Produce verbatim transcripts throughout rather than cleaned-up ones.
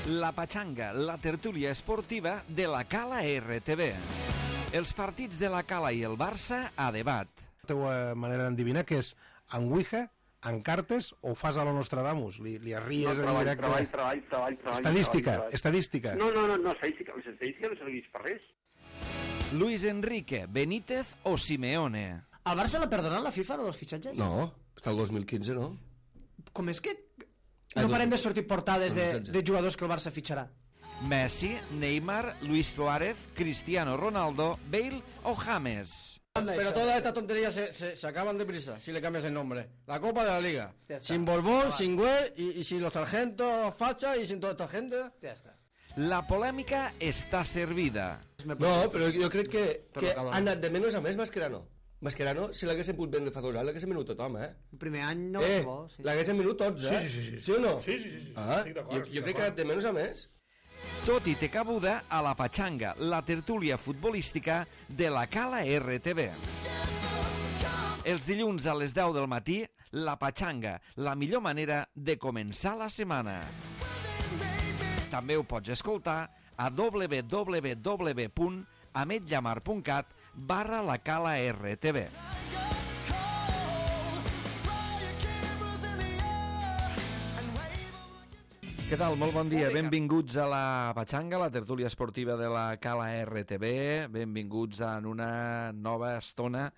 La Pachanga, la tertúlia esportiva de la Cala R T V. Els partits de la Cala i el Barça a debat. La teva manera d'endevinar que és en Ouija, en cartes o fas a lo Nostradamus? Li, li arries no, en treball, directe? Treball, treball, treball, treball. Estadística, treball, treball. estadística. No, no, no, no, estadística, les estadístiques no serveix per res. Luis Enrique, Benítez o Simeone? Al Barça l'ha perdonat la FIFA, lo dels fitxatges? No, està el dos mil quinze, no? Com és que no parem de sortir portades de, de jugadors que el Barça fitxarà? Messi, Neymar, Luis Suárez, Cristiano Ronaldo, Bale o James? Pero todas estas tonterías se, se, se acaban deprisa si le cambias el nombre. La Copa de la Liga. Sin Borbón, sin Güell y, y sin los sargentos facha y sin toda esta gente. Ja està. La polèmica està servida. No, però jo crec que, que ha anat de menys a més Mascherano. Mascherano, si l'haguessin pogut vendre fa dos anys, l'haguessin venut tothom, eh? El primer any no eh, va bo, sí. L'haguessin venut tots, eh? Sí, sí, sí, sí. Sí o no? Sí, sí, sí, sí. Ah, estic d'acord, jo, jo crec que ha anat de menys a més. Tot i té cabuda a la Pachanga, la tertúlia futbolística de la Cala R T V. Els dilluns a les deu del matí, la Pachanga, la millor manera de començar la setmana. També ho pots escoltar a w w w punt ametllamar punt cat barra la Cala R T V. Què tal? Molt bon dia. Benvinguts a la Pachanga, la tertúlia esportiva de la Cala R T V. Benvinguts en una nova estona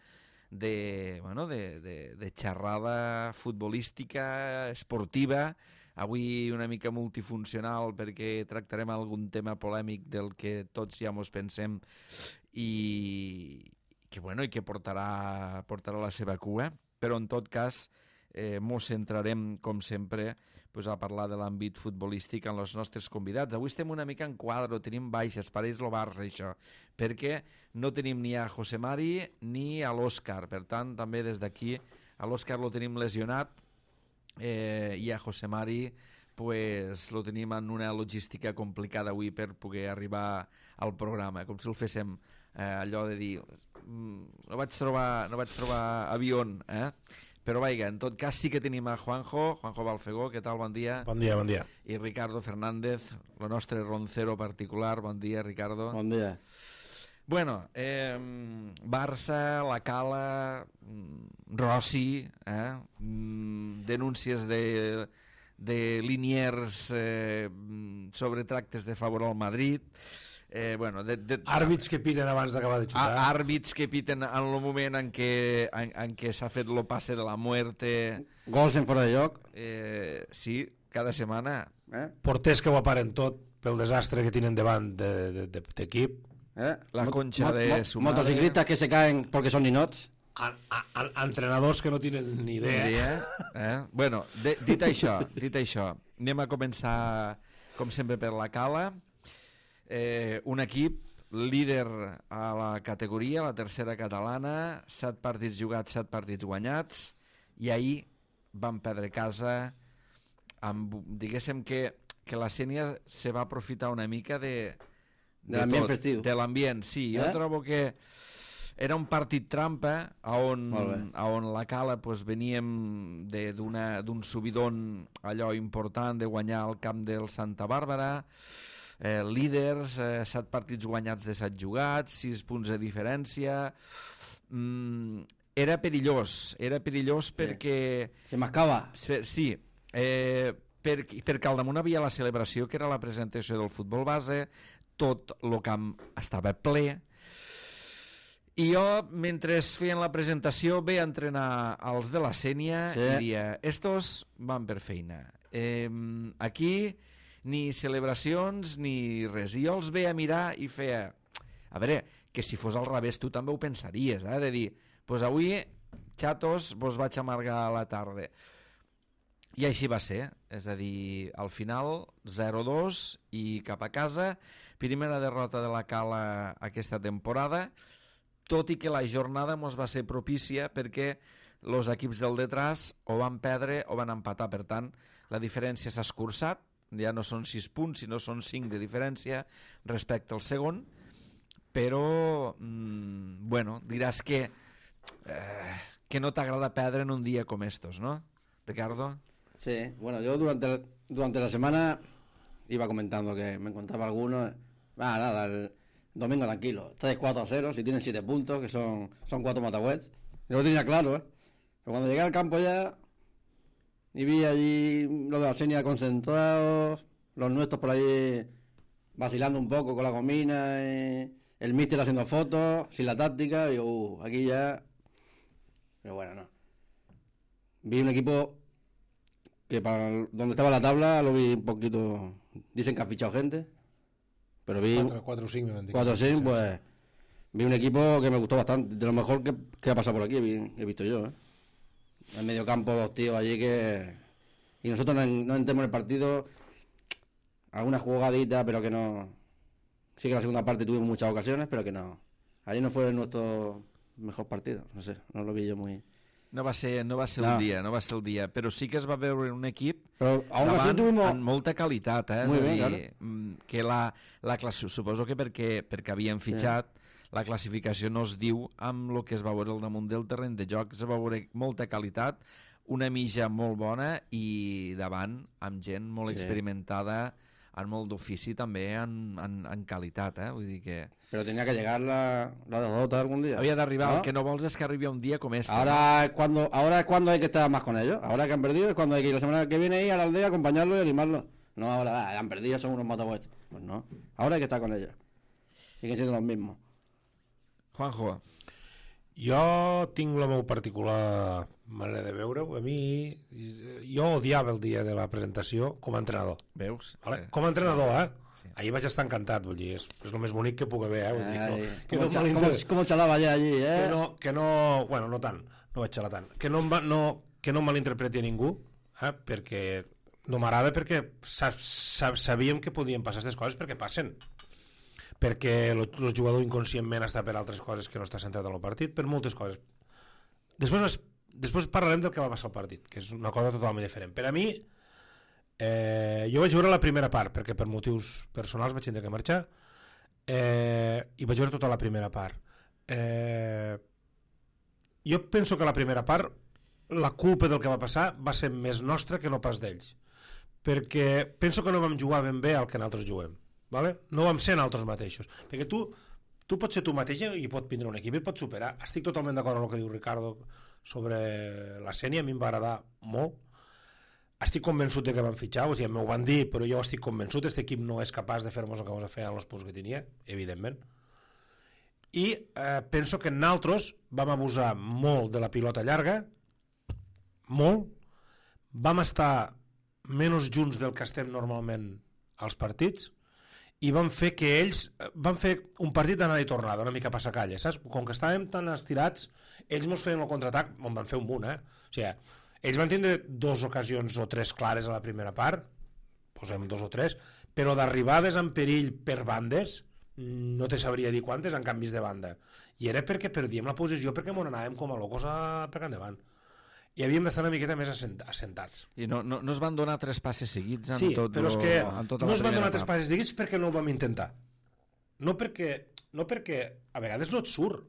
de, bueno, de, de, de xerrada futbolística, esportiva, avui una mica multifuncional perquè tractarem algun tema polèmic del que tots ja mos pensem i que, bueno, i que portarà, portarà la seva cua, però en tot cas eh, mos centrarem, com sempre, pues, a parlar de l'àmbit futbolístic amb els nostres convidats. Avui estem una mica en quadre, tenim baixes, pareix lo Barça, això, perquè no tenim ni a José Mari ni a l'Òscar, per tant, també des d'aquí a l'Òscar lo tenim lesionat, eh, i a José Mari pues, lo tenim en una logística complicada avui per poder arribar al programa, com si el féssim eh, allò de dir no vaig trobar, no vaig trobar avió, eh? Però vaja, en tot cas sí que tenim a Juanjo, Juanjo Balfegó, què tal, bon dia. Bon dia, bon dia. I Ricardo Fernández, el nostre roncero particular, bon dia, Ricardo. Bon dia. Bueno, eh, Barça, la Cala, Rossi, eh, denúncies de, de Liniers eh, sobre tractes de favor al Madrid, eh, bueno, de, de, àrbits que piten abans d'acabar de xutar. Àrbits que piten en el moment en què, en, en què s'ha fet lo passe de la muerte. Gols en fora de lloc. Eh, sí, cada setmana. Eh? Porters que ho aparen tot pel desastre que tenen davant d'equip. De, de, de, Eh? La concha de su madre. Motociclistas que se caen porque son ninots. a, a, a, entrenadors que no tenen ni idea. Ni idea eh? Bueno, de, dit això, dit això, anem a començar, com sempre, per la Cala. Eh, un equip líder a la categoria, la tercera catalana, set partits jugats, set partits guanyats, i ahir van perdre casa amb, diguéssim que, que la Sénia se va aprofitar una mica de, de, de l'ambient festiu. De l'ambient, sí. Jo eh? trobo que era un partit trampa on, on la Cala pues, veníem d'un subidon allò important de guanyar el camp del Santa Bàrbara, eh, líders, eh, set partits guanyats de set jugats, sis punts de diferència. Mm, era perillós, era perillós perquè... Se mascava. Sí, eh, per, perquè al damunt havia la celebració, que era la presentació del futbol base, tot el camp estava ple, i jo, mentre feien la presentació, ve a entrenar els de la Sénia sí. I dia, estos van per feina. Eh, aquí ni celebracions ni res. I jo els ve a mirar i feia... A veure, que si fos al revés tu també ho pensaries, eh? De dir, pues avui, xatos, vos vaig amargar a la tarda. I així va ser, és a dir, al final zero dos i cap a casa, primera derrota de la Cala aquesta temporada, tot i que la jornada mos va ser propícia perquè els equips del detrás o van perdre o van empatar, per tant la diferència s'ha escurçat, ja no són sis punts sinó són cinc de diferència respecte al segon, però mmm, bueno, diràs que eh, que no t'agrada perdre en un dia com estos, ¿no, Ricardo? Sí, bueno, yo durante, durante la semana iba comentando que me encontraba algunos. Ah, nada, el domingo tranquilo. tres cuatro cero, si tienen siete puntos, que son, son cuatro Matahuets. Yo lo tenía claro, ¿eh? Pero cuando llegué al campo ya y vi allí los de la Senia concentrados, los nuestros por ahí vacilando un poco con la gomina, y el míster haciendo fotos, sin la táctica, y yo, uh, aquí ya... Pero bueno, no. Vi un equipo que para donde estaba la tabla lo vi un poquito... Dicen que han fichado gente, pero vi... cuatro o cinco, cuatro o cinco, pues... Vi un equipo que me gustó bastante, de lo mejor que, que ha pasado por aquí, he, he visto yo, ¿eh? En medio campo, dos tíos allí que... Y nosotros no, no entremos en el partido, alguna jugadita, pero que no... Sí que en la segunda parte tuvimos muchas ocasiones, pero que no... Allí no fue nuestro mejor partido, no sé, no lo vi yo muy... No va ser, no va ser no. el dia, no va ser el dia, però sí que es va veure un equip però, davant tuvimos... amb molta qualitat, eh? Muy És a bien, dir, claro. que la, la classe, suposo que perquè, perquè havien fitxat, sí. La classificació no es diu amb el que es va veure al damunt del terreny de joc, es va veure molta qualitat, una mitja molt bona i davant amb gent molt sí. experimentada, amb molt d'ofici també en, en, en qualitat, eh? Vull dir que... Pero tenía que llegar la, la derrota algún día. Había de arribar, ¿no? El que no vols es que arribi un día como este. Ahora, ¿no? es cuando, ahora es cuando hay que estar más con ellos. Ahora que han perdido es cuando hay que ir la semana que viene ir a la aldea, acompañarlos y animarlos. No, ahora ah, han perdido, son unos matahuets. Pues no, ahora hay que estar con ellos. Siguen siendo los mismos. Juanjo. Jo tinc la meva particular manera de veure-ho. A mi, jo odiava el dia de la presentació com a entrenador. Veus? Vale? Com a entrenador, eh? Sí. Ahir vaig estar encantat, vull dir, és, és el més bonic que puc haver, eh? Vull dir, no, que com, no el, com, el, com el xalava allà allí, eh? Que no, que no, bueno, no tant, no vaig xalar tant. Que no, em va, no, que no malinterpreti a ningú, eh? Perquè no m'agrada, perquè sa, sa, sabíem que podien passar aquestes coses perquè passen. Perquè el, el jugador inconscientment està per altres coses que no està centrat en el partit, per moltes coses. Després, després parlarem del que va passar al partit, que és una cosa totalment diferent. Per a mi, eh, jo vaig veure la primera part, perquè per motius personals vaig tenir que marxar, eh, i vaig veure tota la primera part. Eh, jo penso que la primera part, la culpa del que va passar va ser més nostra que no pas d'ells. Perquè penso que no vam jugar ben bé al que nosaltres juguem. Vale? No vam ser nosaltres mateixos, perquè tu, tu pots ser tu mateix i pot vindre un equip i pot superar. Estic totalment d'acord amb el que diu Ricardo sobre la Sènia, a mi em va agradar molt, estic convençut de que van fitxar, o sigui, m'ho van dir, però jo estic convençut, aquest equip no és capaç de fer-nos el que ens feia amb els punts que tenia, evidentment, i eh, penso que nosaltres vam abusar molt de la pilota llarga, molt, vam estar menys junts del que estem normalment als partits, i van fer que ells van fer un partit d'anada i tornada, una mica passacalla, saps? Com que estàvem tan estirats, ells mos feien el contraatac, on van fer un munt, eh? O sigui, ells van tindre dues ocasions o tres clares a la primera part, posem dos o tres, però d'arribades en perill per bandes, no te sabria dir quantes en canvis de banda. I era perquè perdíem la posició, perquè m'on anàvem com a locos a per endavant. I havíem d'estar una miqueta més assentats. I no, no, no es van donar tres passes seguits en sí, tot però és que tota no es van donar part. tres passes seguits perquè no ho vam intentar. No perquè, no perquè a vegades no et surt.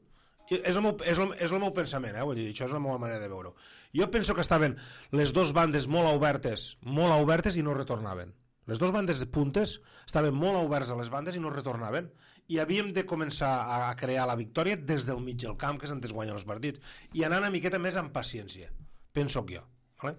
És el meu, és el, és el meu pensament, eh? Vull dir, això és la meva manera de veure-ho. Jo penso que estaven les dues bandes molt obertes, molt obertes i no retornaven. Les dues bandes de puntes estaven molt oberts a les bandes i no retornaven. I havíem de començar a crear la victòria des del mig del camp, que és on es guanyen els partits, i anar una miqueta més amb paciència. Penso que jo, vale?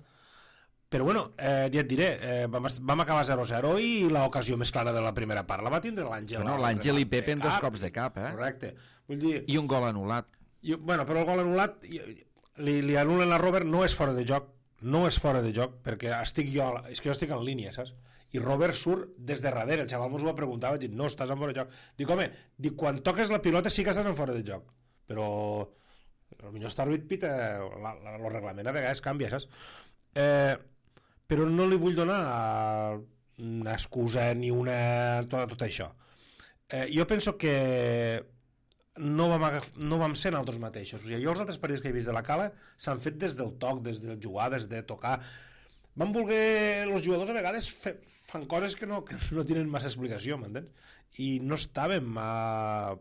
Però bueno, eh, ja et diré, eh, vam, vam acabar zero zero i l'ocasió més clara de la primera part la va tindre l'Àngel. Bueno, l'Àngel i Pepe en dos cops de cap, eh? Correcte. Vull dir... I un gol anul·lat. I, bueno, però el gol anul·lat, li, li anulen a Robert, no és fora de joc, no és fora de joc, perquè estic jo, és que jo estic en línia, saps? I Robert surt des de darrere, el xaval mos ho va preguntar, vaig dir, no, estàs en fora de joc. Dic, home, dic, quan toques la pilota sí que estàs en fora de joc, però... potser està àrbit pita, el reglament a vegades canvia, saps? Eh, però no li vull donar una excusa ni una... tot, tot això. Eh, jo penso que no vam, agaf... no vam ser nosaltres mateixos. O sigui, jo els altres partits que he vist de la Cala s'han fet des del toc, des de jugar, des de tocar. Van voler... Els jugadors a vegades fe... fan coses que no, que no tenen massa explicació, m'entens? I no estàvem a...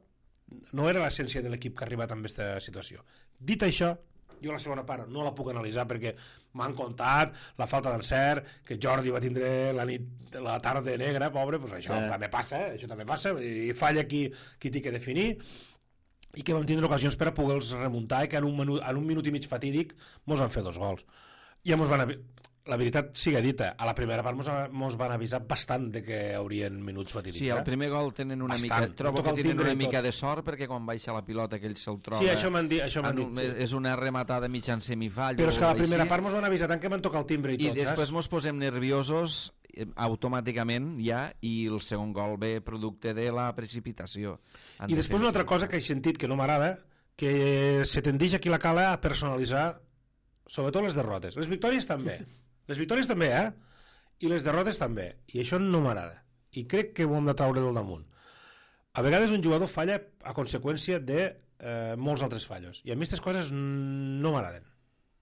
no era l'essència de l'equip que ha arribat amb aquesta situació. Dit això, Jo la segona part no la puc analitzar perquè m'han contat la falta d'encert, que Jordi va tindre la nit, la tarda negra, pobre, doncs això sí. també passa, eh? això també passa, i falla qui, qui té que definir, i que vam tindre ocasions per a poder-los remuntar i que en un, minut, en un minut i mig fatídic mos van fer dos gols. I mos van... La veritat siga dita, a la primera part mos, mos van avisar bastant de que haurien minuts fatídics. Sí, al primer gol tenen una bastant. mica... Trobo que tenen una mica de sort perquè quan baixa la pilota que ell se'l troba... Sí, això m'han dit. Això m'han dit sí. És una rematada mitjan semifall. Però és que a la primera part mos van avisar tant que van tocar el timbre i, I tot, I després saps? mos posem nerviosos automàticament ja i el segon gol ve producte de la precipitació. I després una altra cosa que he sentit que no m'agrada, que se tendeix aquí la cala a personalitzar sobretot les derrotes. Les victòries també. Les victòries també, eh? I les derrotes també. I això no m'agrada. I crec que ho hem de traure del damunt. A vegades un jugador falla a conseqüència de eh, molts altres fallos. I a mi aquestes coses no m'agraden.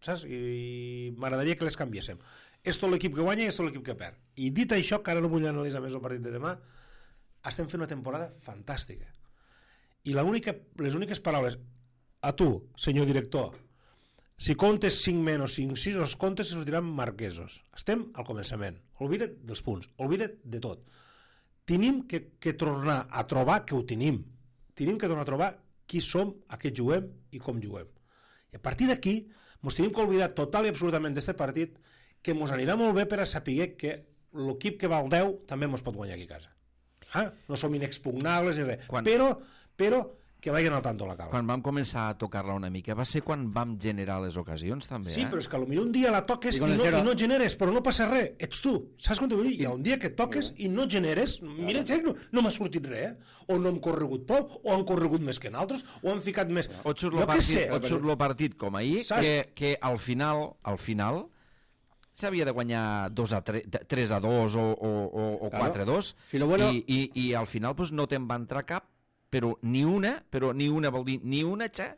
Saps? I m'agradaria que les canviéssim. És tot l'equip que guanya i és tot l'equip que perd. I dit això, que ara no vull analitzar més el partit de demà, estem fent una temporada fantàstica. I la única, les úniques paraules a tu, senyor director, si comptes cinc menys o cinc sis, els comptes se sortiran marquesos. Estem al començament. Oblida't dels punts, oblida't de tot. Tenim que, que tornar a trobar que ho tenim. Tenim que tornar a trobar qui som, a què juguem i com juguem. I a partir d'aquí, ens tenim que oblidar total i absolutament d'aquest partit, que ens anirà molt bé per a saber que l'equip que val deu també ens pot guanyar aquí a casa. Ah? No som inexpugnables ni res. Quan... Però, però que vagin al tanto la cala. Quan vam començar a tocar-la una mica, va ser quan vam generar les ocasions, també, sí, eh? però és que potser un dia la toques i, i, no, i no generes, però no passa res, ets tu. Saps com t'ho vull dir? Hi ha un dia que toques i no generes, mira, no, no m'ha sortit res, eh? O no hem corregut prou, o han corregut més que nosaltres, o han ficat més... O et surt el partit, o et surt el partit com ahir, que, que al final, al final, s'havia de guanyar dos a tres, tres a dos o, o, o, o quatre a dos, claro. bueno... i, i, i al final pues, no te'n va entrar cap, però ni una, però ni una vol dir ni una, xa,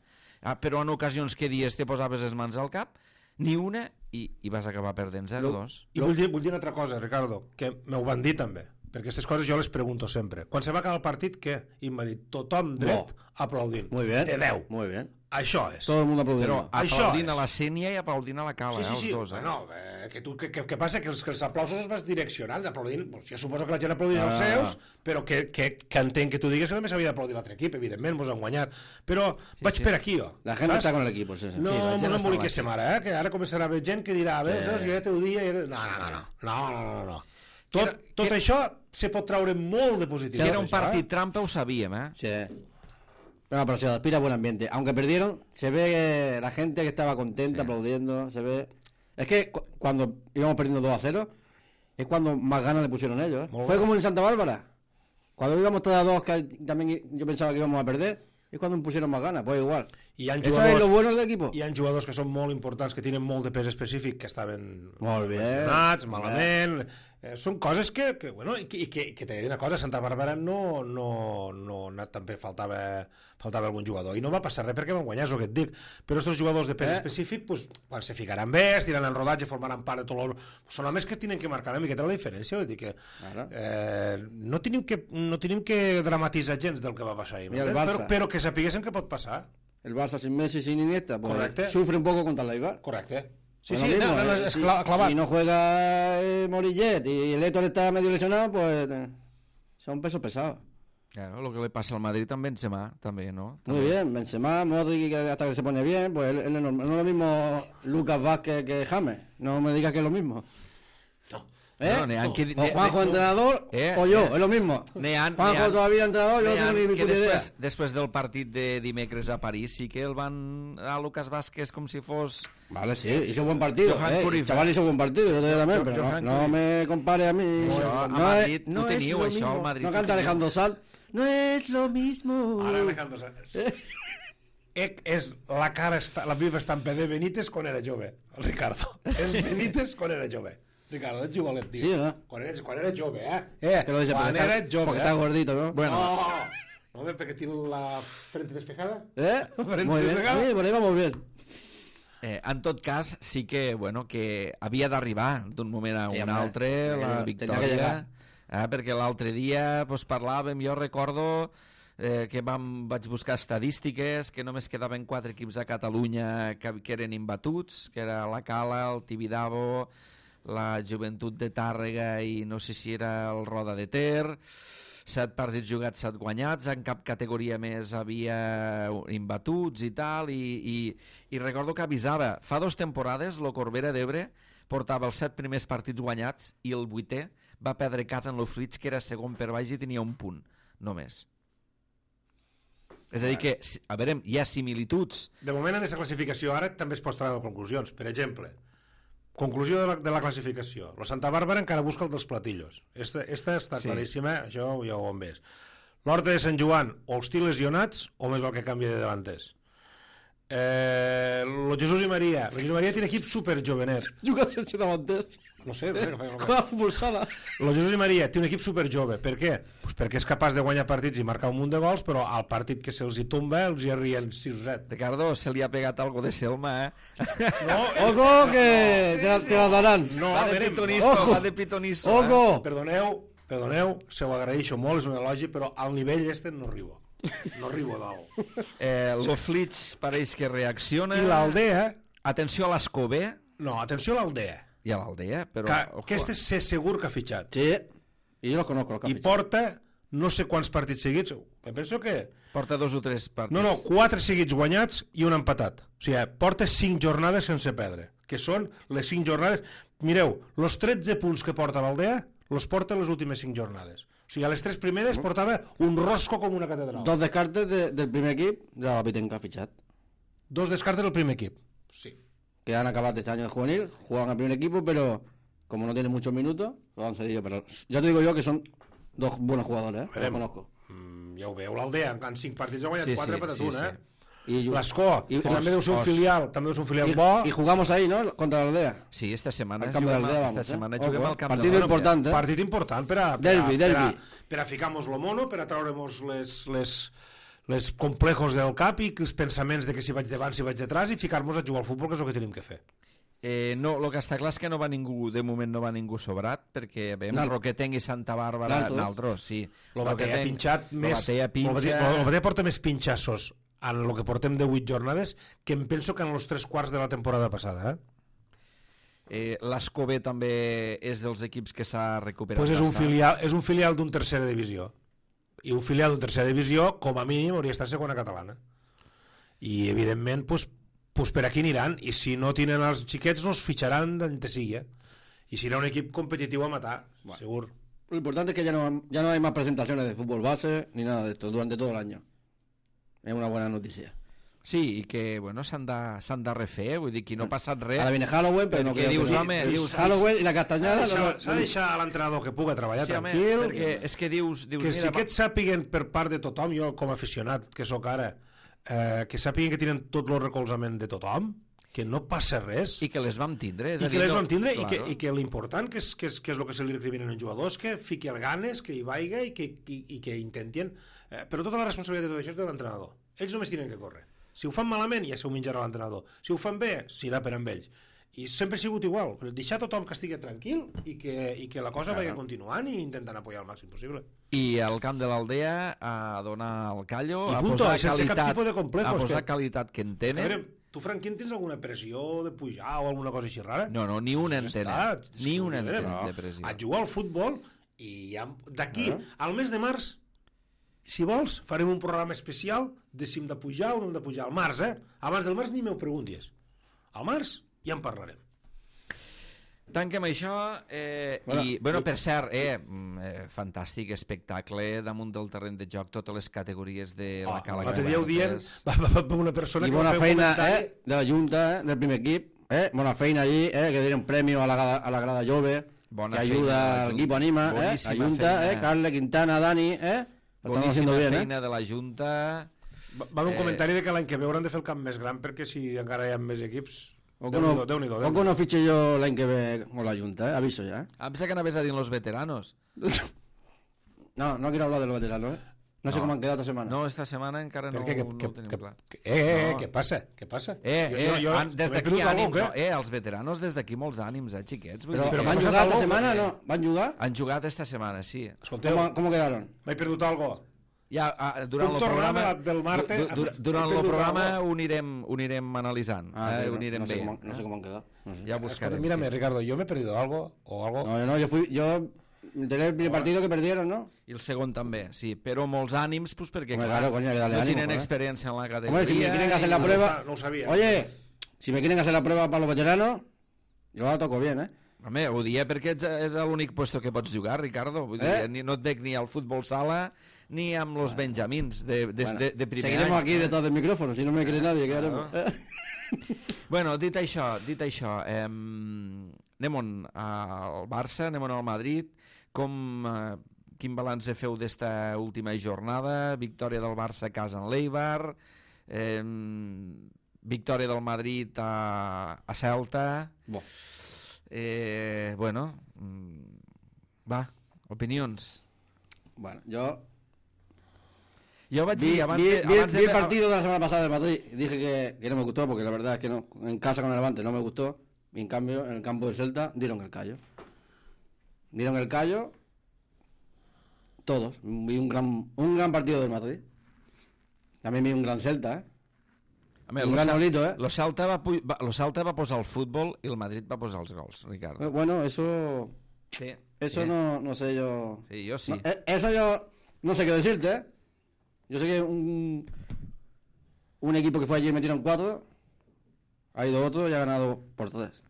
però en ocasions que dies te posaves les mans al cap, ni una, i, i vas acabar perdent zero a dos. I vull dir, vull dir una altra cosa, Ricardo, que m'ho van dir també, perquè aquestes coses jo les pregunto sempre. Quan se va acabar el partit, què? I em va dir, tothom dret no. aplaudint. Muy bien. De deu. Muy bien. Això és. Tot el món aplaudint. Però aplaudint a la Sènia i aplaudint a la Cala, sí, sí, sí. eh, els dos. Eh? Bueno, eh, que, tu, que, que, que passa que els, que els aplausos els vas direccionant, aplaudint, pues, jo suposo que la gent aplaudint ah. els seus, però que, que, que entenc que tu digues que també s'havia d'aplaudir l'altre equip, evidentment, mos han guanyat. Però sí, vaig sí. per aquí, jo. La gent saps? Està con l'equip, sí, sí. No sí, mos emboliquéssim ara, eh? Que ara començarà a haver gent que dirà, bé, sí. jo ja t'ho dia... No, no, no, no, no, no, no. Tot, era, tot que... això se pot traure molt de positiu. Que era un partit eh? trampa, ho sabíem, eh? Sí. Bueno, pero se aspira a buen ambiente. Aunque perdieron, se ve la gente que estaba contenta, sí. aplaudiendo, se ve... Es que cu cuando íbamos perdiendo dos a cero, es cuando más ganas le pusieron ellos. ¿eh? Fue bueno. como en Santa Bárbara. Cuando íbamos tres a dos, que también yo pensaba que íbamos a perder, es cuando me pusieron más ganas, pues igual. I ha Eso es lo bueno del equipo. Hi ha jugadors que són molt importants, que tenen molt de pes específic, que estaven molt bé, mencionats, malament... Eh, són coses que, que bueno, i que, i que, que t'he de dir una cosa, a Santa Bàrbara no, no, no, no també faltava, faltava algun jugador, i no va passar res perquè van guanyar, és el que et dic, però aquests jugadors de pes eh? específic, pues, quan se ficaran bé, es tiraran en rodatge, formaran part de tot el... Són homes que tenen que marcar una miqueta la diferència, vull dir que eh, no, tenim que no tenim que dramatitzar gens del que va passar ahir, però, però que sapiguéssim que pot passar. El Barça sin Messi, sin Iniesta, pues, sufre un poco contra el Eibar. Correcte. Sí, sí, mismo, no, no, es si, clavat. Si no juega eh, Morillet y el Héctor está medio lesionado, pues eh, son pesos pesados. Claro, lo que le pasa al Madrid también Benzema, también, ¿no? Muy también. bien, Benzema, Modric, hasta que se pone bien, pues él, él es normal. No es lo mismo Lucas Vázquez que James, no me digas que es lo mismo. No. ¿Eh? No, no, que, o Juanjo ne, entrenador eh, o yo, eh, es lo mismo. Nean, Juanjo Nean, todavía entrenador, yo no tengo ni mi puta idea. Després del partit de dimecres a París sí que el van a Lucas Vázquez com si fos... Vale, sí, hizo buen partido, eh, el chaval hizo buen partido, yo te también, pero no, no me compare a mí. Això, no, a Madrid, no, no teniu es això, al Madrid. No canta Alejandro Sanz. No es lo mismo. Ara Alejandro Sanz. És la cara, la viva estampa de Benítez quan era jove, el Ricardo. És Benítez quan era jove. Ricardo, ets jugolet, tio. Sí, ¿no? Quan eres, quan eres jove, eh? eh Te lo dice quan porque eres está, jove, porque eh? está gordito, ¿no? Bueno. No, no, perquè tiene la frente despejada. ¿Eh? Frente muy bien, despejada. sí, por ahí vamos bien. Eh, en tot cas, sí que, bueno, que havia d'arribar d'un moment a un sí, altre la victòria, eh, perquè l'altre dia pues, parlàvem, jo recordo eh, que vam, vaig buscar estadístiques, que només quedaven quatre equips a Catalunya que, que eren imbatuts, que era la Cala, el Tibidabo, la Joventut de Tàrrega i no sé si era el Roda de Ter. Set partits jugats, set guanyats, en cap categoria més havia imbatuts i tal, i, i, i recordo que avisava, fa dues temporades el Corbera d'Ebre portava els set primers partits guanyats i el vuitè va perdre casa en l'Ofrits, que era segon per baix i tenia un punt només. És a dir que, a veure, hi ha similituds. De moment en aquesta classificació ara també es pot treure conclusions. Per exemple, conclusió de la, de la classificació. La Santa Bàrbara encara busca el dels platillos. Esta, esta està sí. claríssima, això ja ho hem vist. L'Horta de Sant Joan, o els tils lesionats, o més val que canvi de delanters. Eh, lo Jesús i Maria. Lo Jesús i Maria tiene equip super jovenet. Juga sense davanters. No sé, no sé. Com a futbol sala. Lo Jesús i Maria té un equip super jove. Per què? Pues perquè és capaç de guanyar partits i marcar un munt de gols, però al partit que se'ls hi tomba els hi arrien sis o set. Ricardo, se li ha pegat algo de Selma, eh? No, Ojo, que te la, te la daran. No, va a de veure, pitonisso, ojo, va de pitonisso. Ojo. Eh? Perdoneu, perdoneu, se ho agraeixo molt, és un elogi, però al nivell este no arribo. No arribo dalt. Eh, L'Oflits pareix que reacciona. I l'Aldea... Atenció a l'Escobé. No, atenció a l'Aldea. I a l'Aldea, però... Que, ojo. que este sé segur que ha fitxat. Sí, i jo lo conozco. I porta no sé quants partits seguits. Em penso que... Porta dos o tres partits. No, no, quatre seguits guanyats i un empatat. O sigui, porta cinc jornades sense perdre, que són les cinc jornades... Mireu, els tretze punts que porta l'Aldea els porta les últimes cinc jornades. O sigui, a les tres primeres portava un rosco com una catedral. Dos descartes de, del primer equip de la Piten que ha fitxat. Dos descartes del primer equip. Sí. Que han acabado este año de juvenil, juegan al primer equipo, pero como no tienen muchos minutos, lo han cedido. Pero ya te digo yo que son dos buenos jugadores, ¿eh? Los conozco. Mm, ja ho veu, l'Aldea en cinc partits ha guanyat Sí, quatre sí, per sí, un, sí. eh? Y, L'Escó, que y- també deu ser un os- filial, també deu ser un filial y, bo. y jugamos ahí, ¿no? Contra la Aldea. Sí, esta setmana Al camp de juguem, l'Aldea, esta vamos, eh? setmana Ojo, juguem eh? al camp Partido de l'Aldea. importante, eh? Partit important per a, per a, Derbi, per a, derbi. per a ficar-nos lo mono, per a treure-nos les, les, les complejos del cap i els pensaments de que si vaig davant, si vaig detrás, i ficar-nos a jugar al futbol, que és el que tenim que fer. Eh, no, el que està clar és que no va ningú, de moment no va ningú sobrat, perquè veiem Nal- Roquetenc i Santa Bàrbara, Naltros. Naltros, sí. Lo Batea ha Roquetenc- pinxat lo més... Batea pinxa... Lo Batea porta més pinxassos en el que portem de vuit jornades que em penso que en els tres quarts de la temporada passada, eh? Eh, L'Escobé també és dels equips que s'ha recuperat. Pues és un bastant. filial, és un filial d'un tercera divisió. I un filial d'un tercera divisió, com a mínim, hauria d'estar segona catalana. I, evidentment, pues, pues per aquí aniran. I si no tenen els xiquets, no els fitxaran d'on te sigui. Eh? I serà un equip competitiu a matar, bueno. Segur. Lo importante es que ya no, ya no hay más presentaciones de fútbol base ni nada de esto durante todo el año. Es una buena noticia. Sí, i que bueno, s'han de, s'han de refer, vull dir, que no ha passat res. Ahora viene Halloween, pero no Perquè creo dius, que... home, dius... Halloween y la S'ha castañada... de no, deixar, no, s'ha de deixar a l'entrenador que puga treballar Sí, home, tranquil, perquè és que dius... dius que mira, si aquests sàpiguen per part de tothom, jo com a aficionat que sóc ara, eh, que sàpiguen que tenen tot el recolzament de tothom, que no passa res, I que les vam tindre. És i a que dir, les no- vam tindre, i que, claro. i que l'important, que és, que, és, que és el que se li recriminen als jugadors, que fiqui el ganes, que hi vaiga i que, i, i que intentien... Eh, però tota la responsabilitat de tot això és de l'entrenador. Ells només tenen que córrer. Si ho fan malament, ja se ho menjarà l'entrenador. Si ho fan bé, s'irà per amb ells. I sempre ha sigut igual. Deixar tothom que estigui tranquil i que, i que la cosa vagi continuant i intentant apoyar el màxim possible. I al camp de l'Aldea a donar el callo, I a punto, posar sense cap qualitat, tipus de complejos, a posar que- qualitat que en A tenen. veure, tu, Franquín, tens alguna pressió de pujar o alguna cosa així rara? No, no, ni una en Pues tenen. està, és Ni que una en vull dir, tenen no. de pressió. A jugar al futbol i ja, d'aquí al mes de març, si vols, farem un programa especial de si hem de pujar o no hem de pujar. Al març, eh? Abans del març ni m'ho preguntis. Al març ja en parlarem. Tanquem això eh, Bueno, i, bueno, per cert, eh, mm, eh, fantàstic espectacle damunt del terreny de joc, totes les categories de la Oh, Cala l'altre dia ho dient, Gavarres. va, va, va una persona Y que buena va fer un feina comentari... eh, de la Junta, eh, del primer equip, eh, buena feina allí, eh, que dieron premio a la, grada- a la grada Jove, Bona que feina de la ayuda al Junta. equipo, anima, eh, la Boníssima Junta, feina. eh, Carle, Quintana, Dani, eh, lo están Boníssima haciendo bien, eh. feina de la Junta. Va, va un Eh, comentari de que l'any que ve hauran de fer el camp més gran perquè si encara hi ha més equips... Poco Déu-n'hi-do, no, Déu-n'hi-do, poco Déu-n'hi-do. no fiche yo la que ve con la Junta, eh, aviso ya, eh. Em pensava que anaves a dir los veteranos. No, no quiero hablar de los veteranos, eh. No, sé No. cómo han quedado esta semana. No, esta setmana encara no, Per què? Que, no que, ho tenim que, clar. que, eh, eh, No. què passa? Què passa? Eh, Jo- eh, jo- jo- an- des m'he d'aquí perdut alguna ànims, cosa, eh, els veteranos des d'aquí molts ànims, eh, xiquets. Vull Pero, dir però que ¿van a m'ha jugar esta passat semana? algo, No, ¿van a jugar? han jugat esta setmana, sí. Escolteu, ¿Cómo, cómo quedaron? m'he perdut algo. Ja, ah, durant Puc el tornar programa, de la- del Marte, du, du, he durant el perdut programa alguna ho anirem, ho anirem analitzant, Ah, eh? sí, ho no, anirem no sé bé. cómo, no sé cómo han quedado. No sé. Ja Escolta, buscarem. mírame, sí. Ricardo, yo me he perdido algo o algo. No, no, yo fui, yo me enteré el primer partido que perdieron, ¿no? I el segon també, sí, però molts ànims, pues, perquè Hombre, clar, claro, coño, hay que darle no ánimo, tienen joder. experiencia en la categoría. Hombre, si me quieren hacer la y- prueba... no ho sabia. Oye, si me quieren hacer la prueba para los veteranos, yo la toco bien, ¿eh? Home, ho dia perquè ets, és l'únic puesto que pots jugar, Ricardo. Vull Eh? dir, ni, no et veig ni al futbol sala ni amb los benjamins de, de, Bueno, de, de primer seguiremos any. aquí detrás del micrófono, si no me cree nadie, ¿qué haremos? Claro. Bueno, dit això, dit això, eh, anem on? Al Barça, anem on al Madrid. Com, eh, quin balanç feu d'esta última jornada? Victòria del Barça a casa en l'Eibar, eh, victòria del Madrid a, a Celta. Bo. Eh, bueno, mm, va, opinions. Bueno, yo Jo vaig vi, dir abans vi- de... vi- abans vi de, el partido de la semana pasada del Madrid y dije que, que no me gustó porque la verdad es que no, en casa con el Levante no me gustó y en cambio en el campo del Celta dieron el callo. Dieron el callo todos. Vi un gran, un gran partido del Madrid. También vi un gran Celta, ¿eh? A veure, un lo gran Cel- Nolito, ¿eh? Lo Celta, va, pu- va, lo Celta va posar el futbol i el Madrid va posar els gols, Ricardo. Eh, Bueno, eso Sí. eso sí. no, no sé yo. Sí, jo sí. No, eh, eso yo no sé qué decirte, ¿eh? Yo sé que un, un equipo que fue allí y metieron cuatro, ha ido otro y ha ganado por tres.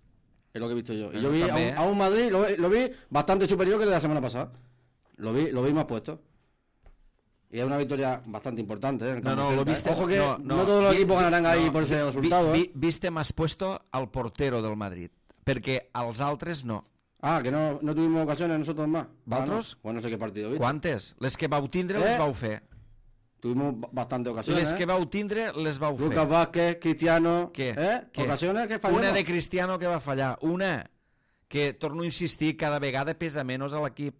Es lo que he visto yo. Y Bueno, yo vi a también, un, ¿eh? a un Madrid, lo, vi- lo vi bastante superior que el de la semana pasada. Lo vi, lo vi más puesto. Y es una victoria bastante importante, ¿eh? en el No, campo no, del lo Celta, viste... ¿eh? Ojo que no, no, todos los vi- equipos ganarán ahí no, por ese vi- resultado. vi- ¿eh? viste más puesto al portero del Madrid, perquè als altres no. Ah, que no, no tuvimos ocasiones nosotros más. ¿Vosaltres? Ah, no. Pues no sé qué partido viste. Quantes? Les que vau tindre les Eh? vau fer. Tuvimos ba- bastante ocasiones. Les ¿eh? que vau tindre les vau fer. Lucas Vázquez, Cristiano. Què? ¿Eh? Què? Ocasiones que fallamos. Una de Cristiano que va fallar. Una que, torno a insistir, cada vegada pesa menys a l'equip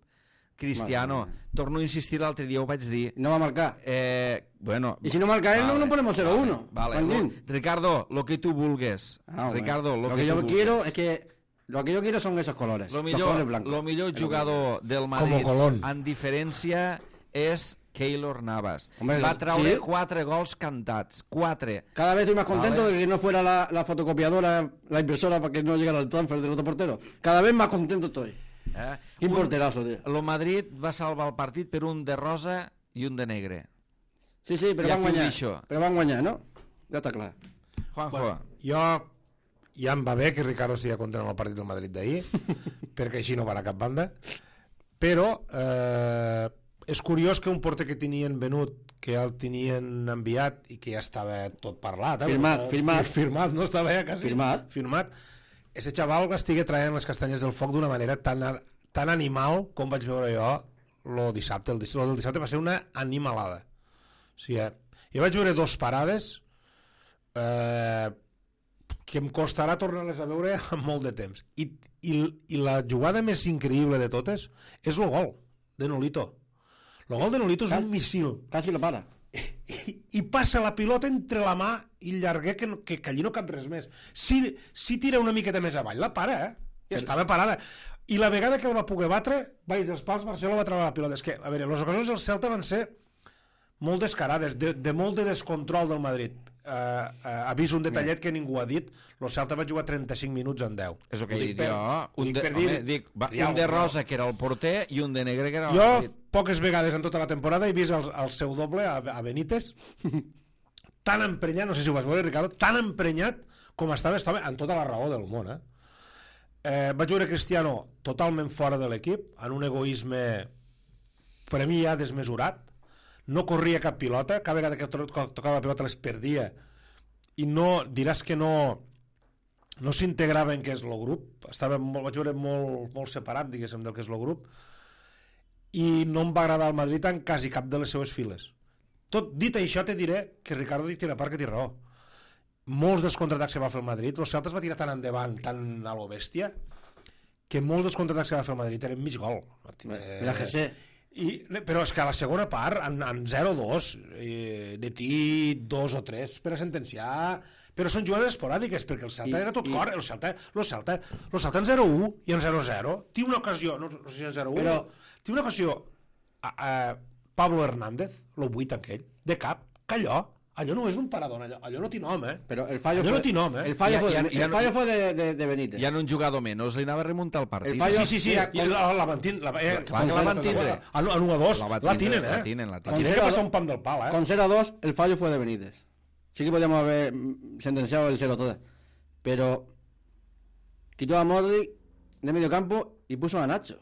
Cristiano. Madre Torno a insistir, l'altre dia ho vaig dir. No va a marcar. Eh, bueno, Y si no marca él, no nos ponemos cero uno. Vale, Juanín. lo- Ricardo, lo que tú vulgues. Ah, bueno. Ricardo, lo, lo que, que tú yo vulgues. quiero es que lo que yo quiero son esos colores. Lo los millor, colores blancos. lo millor Es lo que jugador del Madrid Colón. en diferència és Keylor Navas. Hombre, Va traure sí. quatre gols cantats. Quatre. Cada vez estoy más contento Vale. de que no fuera la, la fotocopiadora, la impresora para que no llegara el transfer del otro portero. Cada vez más contento estoy. Eh? Quin Un- porterazo, tío. Lo Madrid va salvar el partit per un de rosa i un de negre. Sí, sí, pero I van aquí ho a deixo. Pero van a ¿no? Ya está claro. Juanjo, Bueno, jo ja em va bé que Ricardo estigui content en el partit del Madrid d'ahir, perquè així no va a cap banda, però eh, és curiós que un porter que tenien venut, que ja el tenien enviat i que ja estava tot parlat, eh? Firmat, firmat. firmat, no estava ja quasi Firmat. firmat. Ese xaval estigui traient les castanyes del foc d'una manera tan, ar- tan animal com vaig veure jo lo dissabte. El, diss- lo del dissabte va ser una animalada. O sigui, eh, jo vaig veure dos parades eh, que em costarà tornar-les a veure en molt de temps. I, i, i la jugada més increïble de totes és el gol de Nolito. El gol de Nolito és un missil. Casi lo para. I, i passa la pilota entre la mà i el llarguer que, no- que, que allí no cap res més. Si, si tira una miqueta més avall, la para, eh? Ja estava parada. I la vegada que el va poder batre, baix dels pals, Barcelona va treure la pilota. És que, a veure, les ocasions del Celta van ser molt descarades, de, de molt de descontrol del Madrid. Uh, uh, avís un detallet que ningú ha dit, el Celta va jugar trenta-cinc minuts en deu. és el que Ho he dic dit per- jo. ho Un dic de, per dir- home, dic, va, Ja, un de però- rosa, que era el porter, i un de negre, que era el Jo, Madrid. poques vegades en tota la temporada, he vist el, el seu doble a, a Benítez tan emprenyat, no sé si ho vas veure, Ricardo, tan emprenyat com estava, estava en tota la raó del món, eh? Eh, vaig veure Cristiano totalment fora de l'equip, en un egoisme per a mi ja desmesurat, no corria cap pilota, cada vegada que to- tocava la pilota les perdia, i no, diràs que no no s'integrava en què és el grup, estava molt, vaig veure molt, molt separat, diguéssim, del que és el grup, i no em va agradar el Madrid en quasi cap de les seues files. Tot dit això, te diré que Ricardo té una part que té raó. Molts dels contraatacs que va fer el Madrid, el Celta es va tirar tan endavant, tan a lo bèstia, que molts dels contraatacs que va fer el Madrid eren mig gol. Mira, José. I, però és que a la segona part, en, en zero dos, eh, de ti dos o tres per a sentenciar, però són jugades esporàdiques, perquè el Celta I- era tot i- cor, el Celta, el Celta, el Celta en zero u i en zero zero, té una ocasió, no, no sé si en zero u, Però- té una ocasió a, a, Pablo Hernández, lo vuit aquell, de cap, que allò, allò no és un parador, allò, allò no té nom, eh? Però el fallo allò fue, no té nom, eh? El fallo Ja- fue, ja- de, ja el no- fallo fue de, de, de Benítez. Ja no un jugador menys, li anava a remuntar el partit. El fallo- Sí, sí, sí, Mira, i la, la van tindre, la, eh, Clar que la van tindre. a l'u a dos, La va la tindre, tinen, eh? la tinen, la tinen. Tiene que Con passar cero- un pam del pal, eh? Con cero a dos, el fallo fue de Benítez. Sí que podíamos haber mm, sentenciado el cero todo. Pero quitó a Modric de medio campo y puso a Nacho.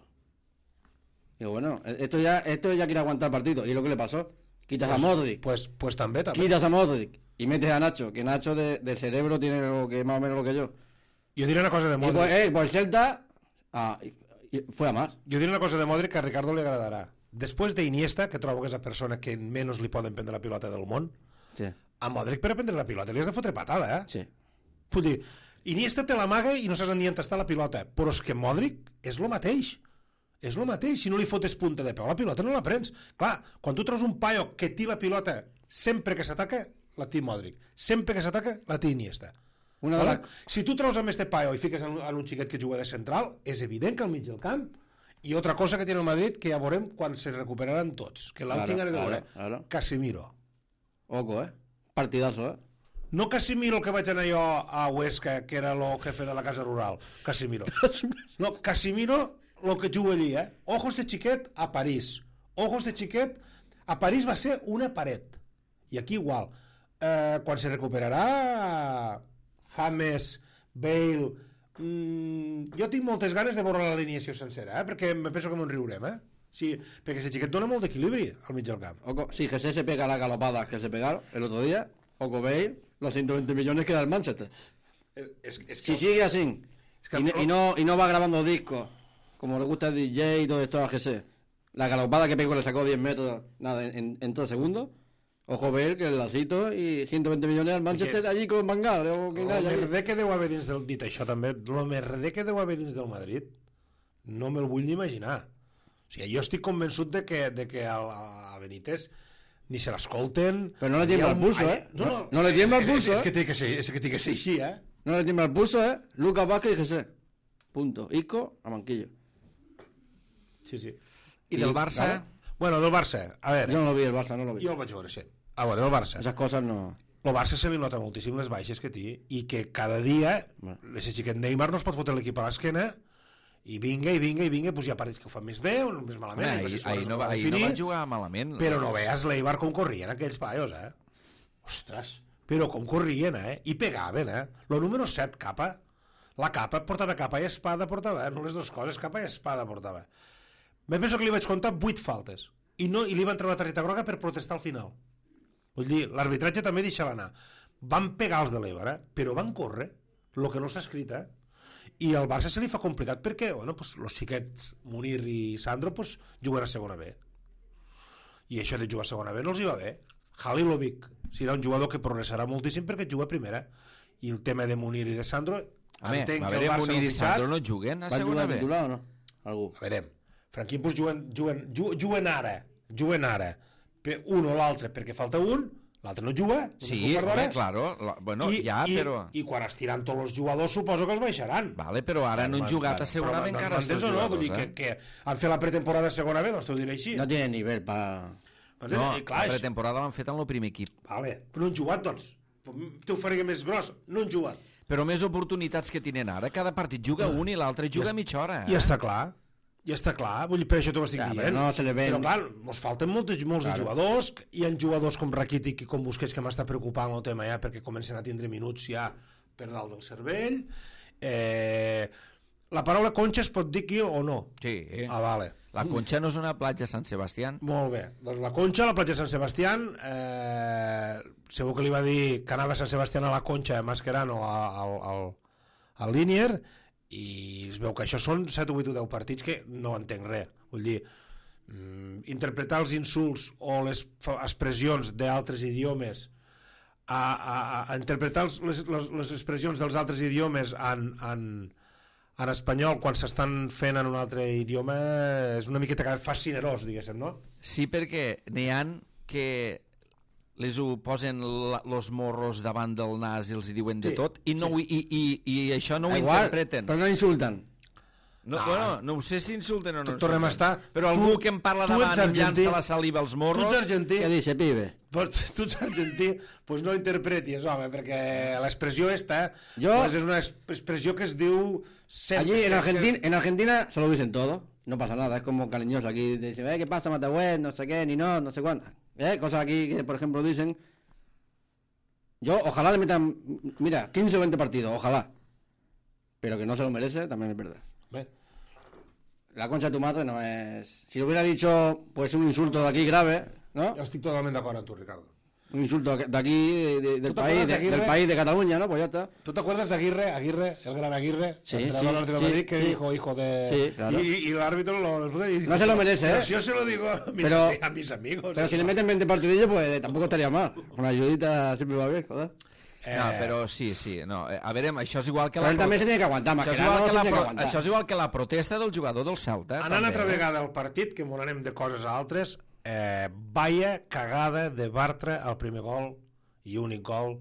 Digo, bueno, esto ya, esto ya quiere aguantar el partido. Y lo que le pasó, quitas a Modric, Pues, pues també, també. quitas a Modric y metes a Nacho, que Nacho de, de cerebro tiene lo que más o menos lo que yo. Jo diré una cosa de Y Modric. pues, eh, pues el Celta ah, y- y fue a más. Jo diré una cosa de Modric que a Ricardo li agradarà. Després d'Iniesta, que trobo que és la persona que menys li poden prendre la pilota del món, Sí, a Modric per a prendre la pilota li has de fotre patada, eh? sí. Vull dir, Iniesta te l'amaga i no saps ni on està la pilota, però és que Modric és el mateix. És el mateix, si no li fotes punta de peu la pilota no la prens. Clar, quan tu treus un paio que té la pilota sempre que s'ataca, la té Modric. Sempre que s'ataca, la té Iniesta. Una de Vale? la- Si tu treus amb este paio i fiques en, en un xiquet que juga de central, és evident que al mig del camp. I otra cosa que tiene el Madrid, que ja veurem quan se recuperaran tots, que l'alt Claro, tinc ganes de claro, veure. claro. Casemiro. Oco, eh. Partidazo, eh. No Casemiro el que vaig anar jo a Huesca, que era el jefe de la casa rural. Casemiro. No, Casemiro, el que juga allí, eh? Ojos de xiquet a París. Ojos de xiquet a París va ser una paret. I aquí igual. Eh, quan se recuperarà James, Bale... Mm, jo tinc moltes ganes de veure l'alineació sencera, eh? Perquè me penso que m'en riurem, eh? Sí, perquè ese xiquet dona molt d'equilibri al mig del camp. Oco, si Jesús se pega la galopada que se pegaron el otro día, Oco veis los ciento veinte millones que da el Manchester. És, és Si sigue así que- y, no, y, no, y no va grabando discos, como le gusta el D J y todo esto a Jesús, la galopada que pegó le sacó diez metros nada, en, en tres segundos. Ojo ver que el lacito y ciento veinte millones al Manchester allí con Mangal. O que El haya allí. merder que deu haver dins del... Dit això també, el merder que deu haver dins del Madrid no me'l vull ni imaginar. O sigui, jo estic convençut de que, de que a, a Benítez ni se l'escolten... Però no le Hi ha tiembla el un- pulso, Ai, eh? No, no, No- no le tiembla el és- pulso, És, eh? és que té que ser, és que té que ser així, eh? No le tiembla el pulso, ¿eh? Lucas Vázquez y Jesús. Punto. Isco a Manquillo. Sí, sí. I del Barça? Claro. Bueno, del Barça, a veure, Yo no lo vi el Barça, no lo vi. jo el vaig veure, sí. A veure, del Barça. Esas cosas no... El Barça se li nota moltíssim les baixes que té i que cada dia Bueno. ese xiquet Neymar no es pot fotre l'equip a l'esquena i vinga, i vinga, i vinga, doncs hi ha partits que ho fan més bé o més malament. Home, i ahir, no sé si ahir, es no, va va- ahir no definir, va jugar malament. Però no veas l'Eibar com corrien aquells paios, eh? Ostres, però com corrien, eh? I pegaven, eh? Lo número set, capa. La capa portava capa i espada, portava, eh? No les dues coses, capa i espada portava. Me penso que li vaig comptar vuit faltes. I, no, i li van treure la targeta groga per protestar al final. Vull dir, l'arbitratge també deixa l'anar. Van pegar els de l'Eibar, eh? Però van córrer, el que no està escrit, eh? I al Barça se li fa complicat perquè, bueno, pues, los xiquets Munir i Sandro pues, juguen a segona B. I això de jugar a segona B no els hi va bé. Halilovic serà un jugador que progressarà moltíssim perquè juga a primera. I el tema de Munir i de Sandro, Home, entenc a que el veure, Barça Munir no i ha fitxat. Sandro no juguen a ¿Va a segona jugar B. titular o no? Algú. A veure, Franquín pues, juguen, juguen, juguen, juguen ara, juguen ara. Per un o l'altre perquè falta un, l'altre no juga. només Sí, un quart d'hora. home, claro. La, bueno, I, ja, i, però... I quan estiran tots els jugadors suposo que els baixaran. Vale, però ara no han Bueno, jugat bueno, a segona B però encara els m'entens dos o no? jugadors, Vull dir eh? que, que han fet la pretemporada a segona B, doncs t'ho diré així. No tiene nivel para... M'entens? No, I clar, la això- pretemporada l'han fet en el primer equip. Vale, però no han jugat, doncs. T'ho faria més gros. No han jugat. Però més oportunitats que tenen ara. Cada partit juga un i l'altre juga mitja hora. I està clar. I està clar. Vull dir, per això t'ho estic Ja, però dient. no se li ven- Però clar, mos falten molts, molts Claro. de jugadors. Hi ha jugadors com Rakitic i com Busquets que m'està preocupant el tema ja perquè comencen a tindre minuts ja per dalt del cervell. Eh, la paraula conxa es pot dir aquí o no? Sí. Ah, vale. La Conxa no és una platja a Sant Sebastià. Molt bé. Doncs la Conxa, a la platja de Sant Sebastián, eh, segur que li va dir que anava a Sant Sebastián a la Conxa, a Mascherano, al, al, al Linier, i es veu que això són set o vuit o deu partits que no entenc res. Vull dir, mm, interpretar els insults o les fa- expressions d'altres idiomes, a, a, a interpretar els, les, les, les expressions dels altres idiomes en, en, en espanyol quan s'estan fent en un altre idioma és una miqueta que fa cinerós, diguéssim, no? Sí, perquè n'hi han que les ho posen la, los morros davant del nas i els hi diuen de Sí, tot i, no, sí. i, i, i això no ho Da igual, interpreten. pero no insultan. No, no, bueno, no ho sé si insulten o no. Tornem a estar... Però algú tu, que em parla tu davant ets i llança la saliva als morros... Tu ets argentí... Què dice, pibe? Tu ets argentí, pues no interpretis, home, perquè l'expressió esta Jo... pues és una expressió que es diu... Sempre, Allí en que- Argentina, en Argentina se lo dicen todo, no pasa nada, es como cariñoso aquí, dicen, eh, ¿qué pasa, Matahuet? No sé qué, ni no, no sé cuánto. ¿Eh? Cosas aquí que, por ejemplo, dicen... Yo, ojalá le metan, mira, quince o veinte partidos, ojalá. Pero que no se lo merece, también es verdad. Bé, La concha de tu madre no es... Si lo hubiera dicho, pues un insulto de aquí grave, ¿no? jo estic totalment d'acord amb tu, Ricardo. Un insulto de aquí, de- de- del, ¿Tú te país, acuerdas de de- Aguirre? del país de Cataluña, ¿no? Pues ya está. ¿Tú te acuerdas de Aguirre, Aguirre, el gran Aguirre, Sí, entrenador sí, del sí, Madrid, que sí. dijo hijo de... Sí, claro. Y, y el árbitro lo... y dijo, No se lo merece, "Pero ¿eh? si yo se lo digo a mis, Pero- a mis amigos. Pero si le meten veinte partidillos, pues tampoco estaría mal. Una ayudita siempre va bien, joder. Eh, No, però sí, sí. No. eh, A veure, això és igual que Pero la... él también se tiene que aguantar, más Això que és, nada igual no que se la tiene que pro... aguantar. això és igual que la protesta del jugador del Celta. Anant també, altra eh? vegada al partit, que m'ho anem de coses a altres, eh, vaya cagada de Bartra al primer gol i únic gol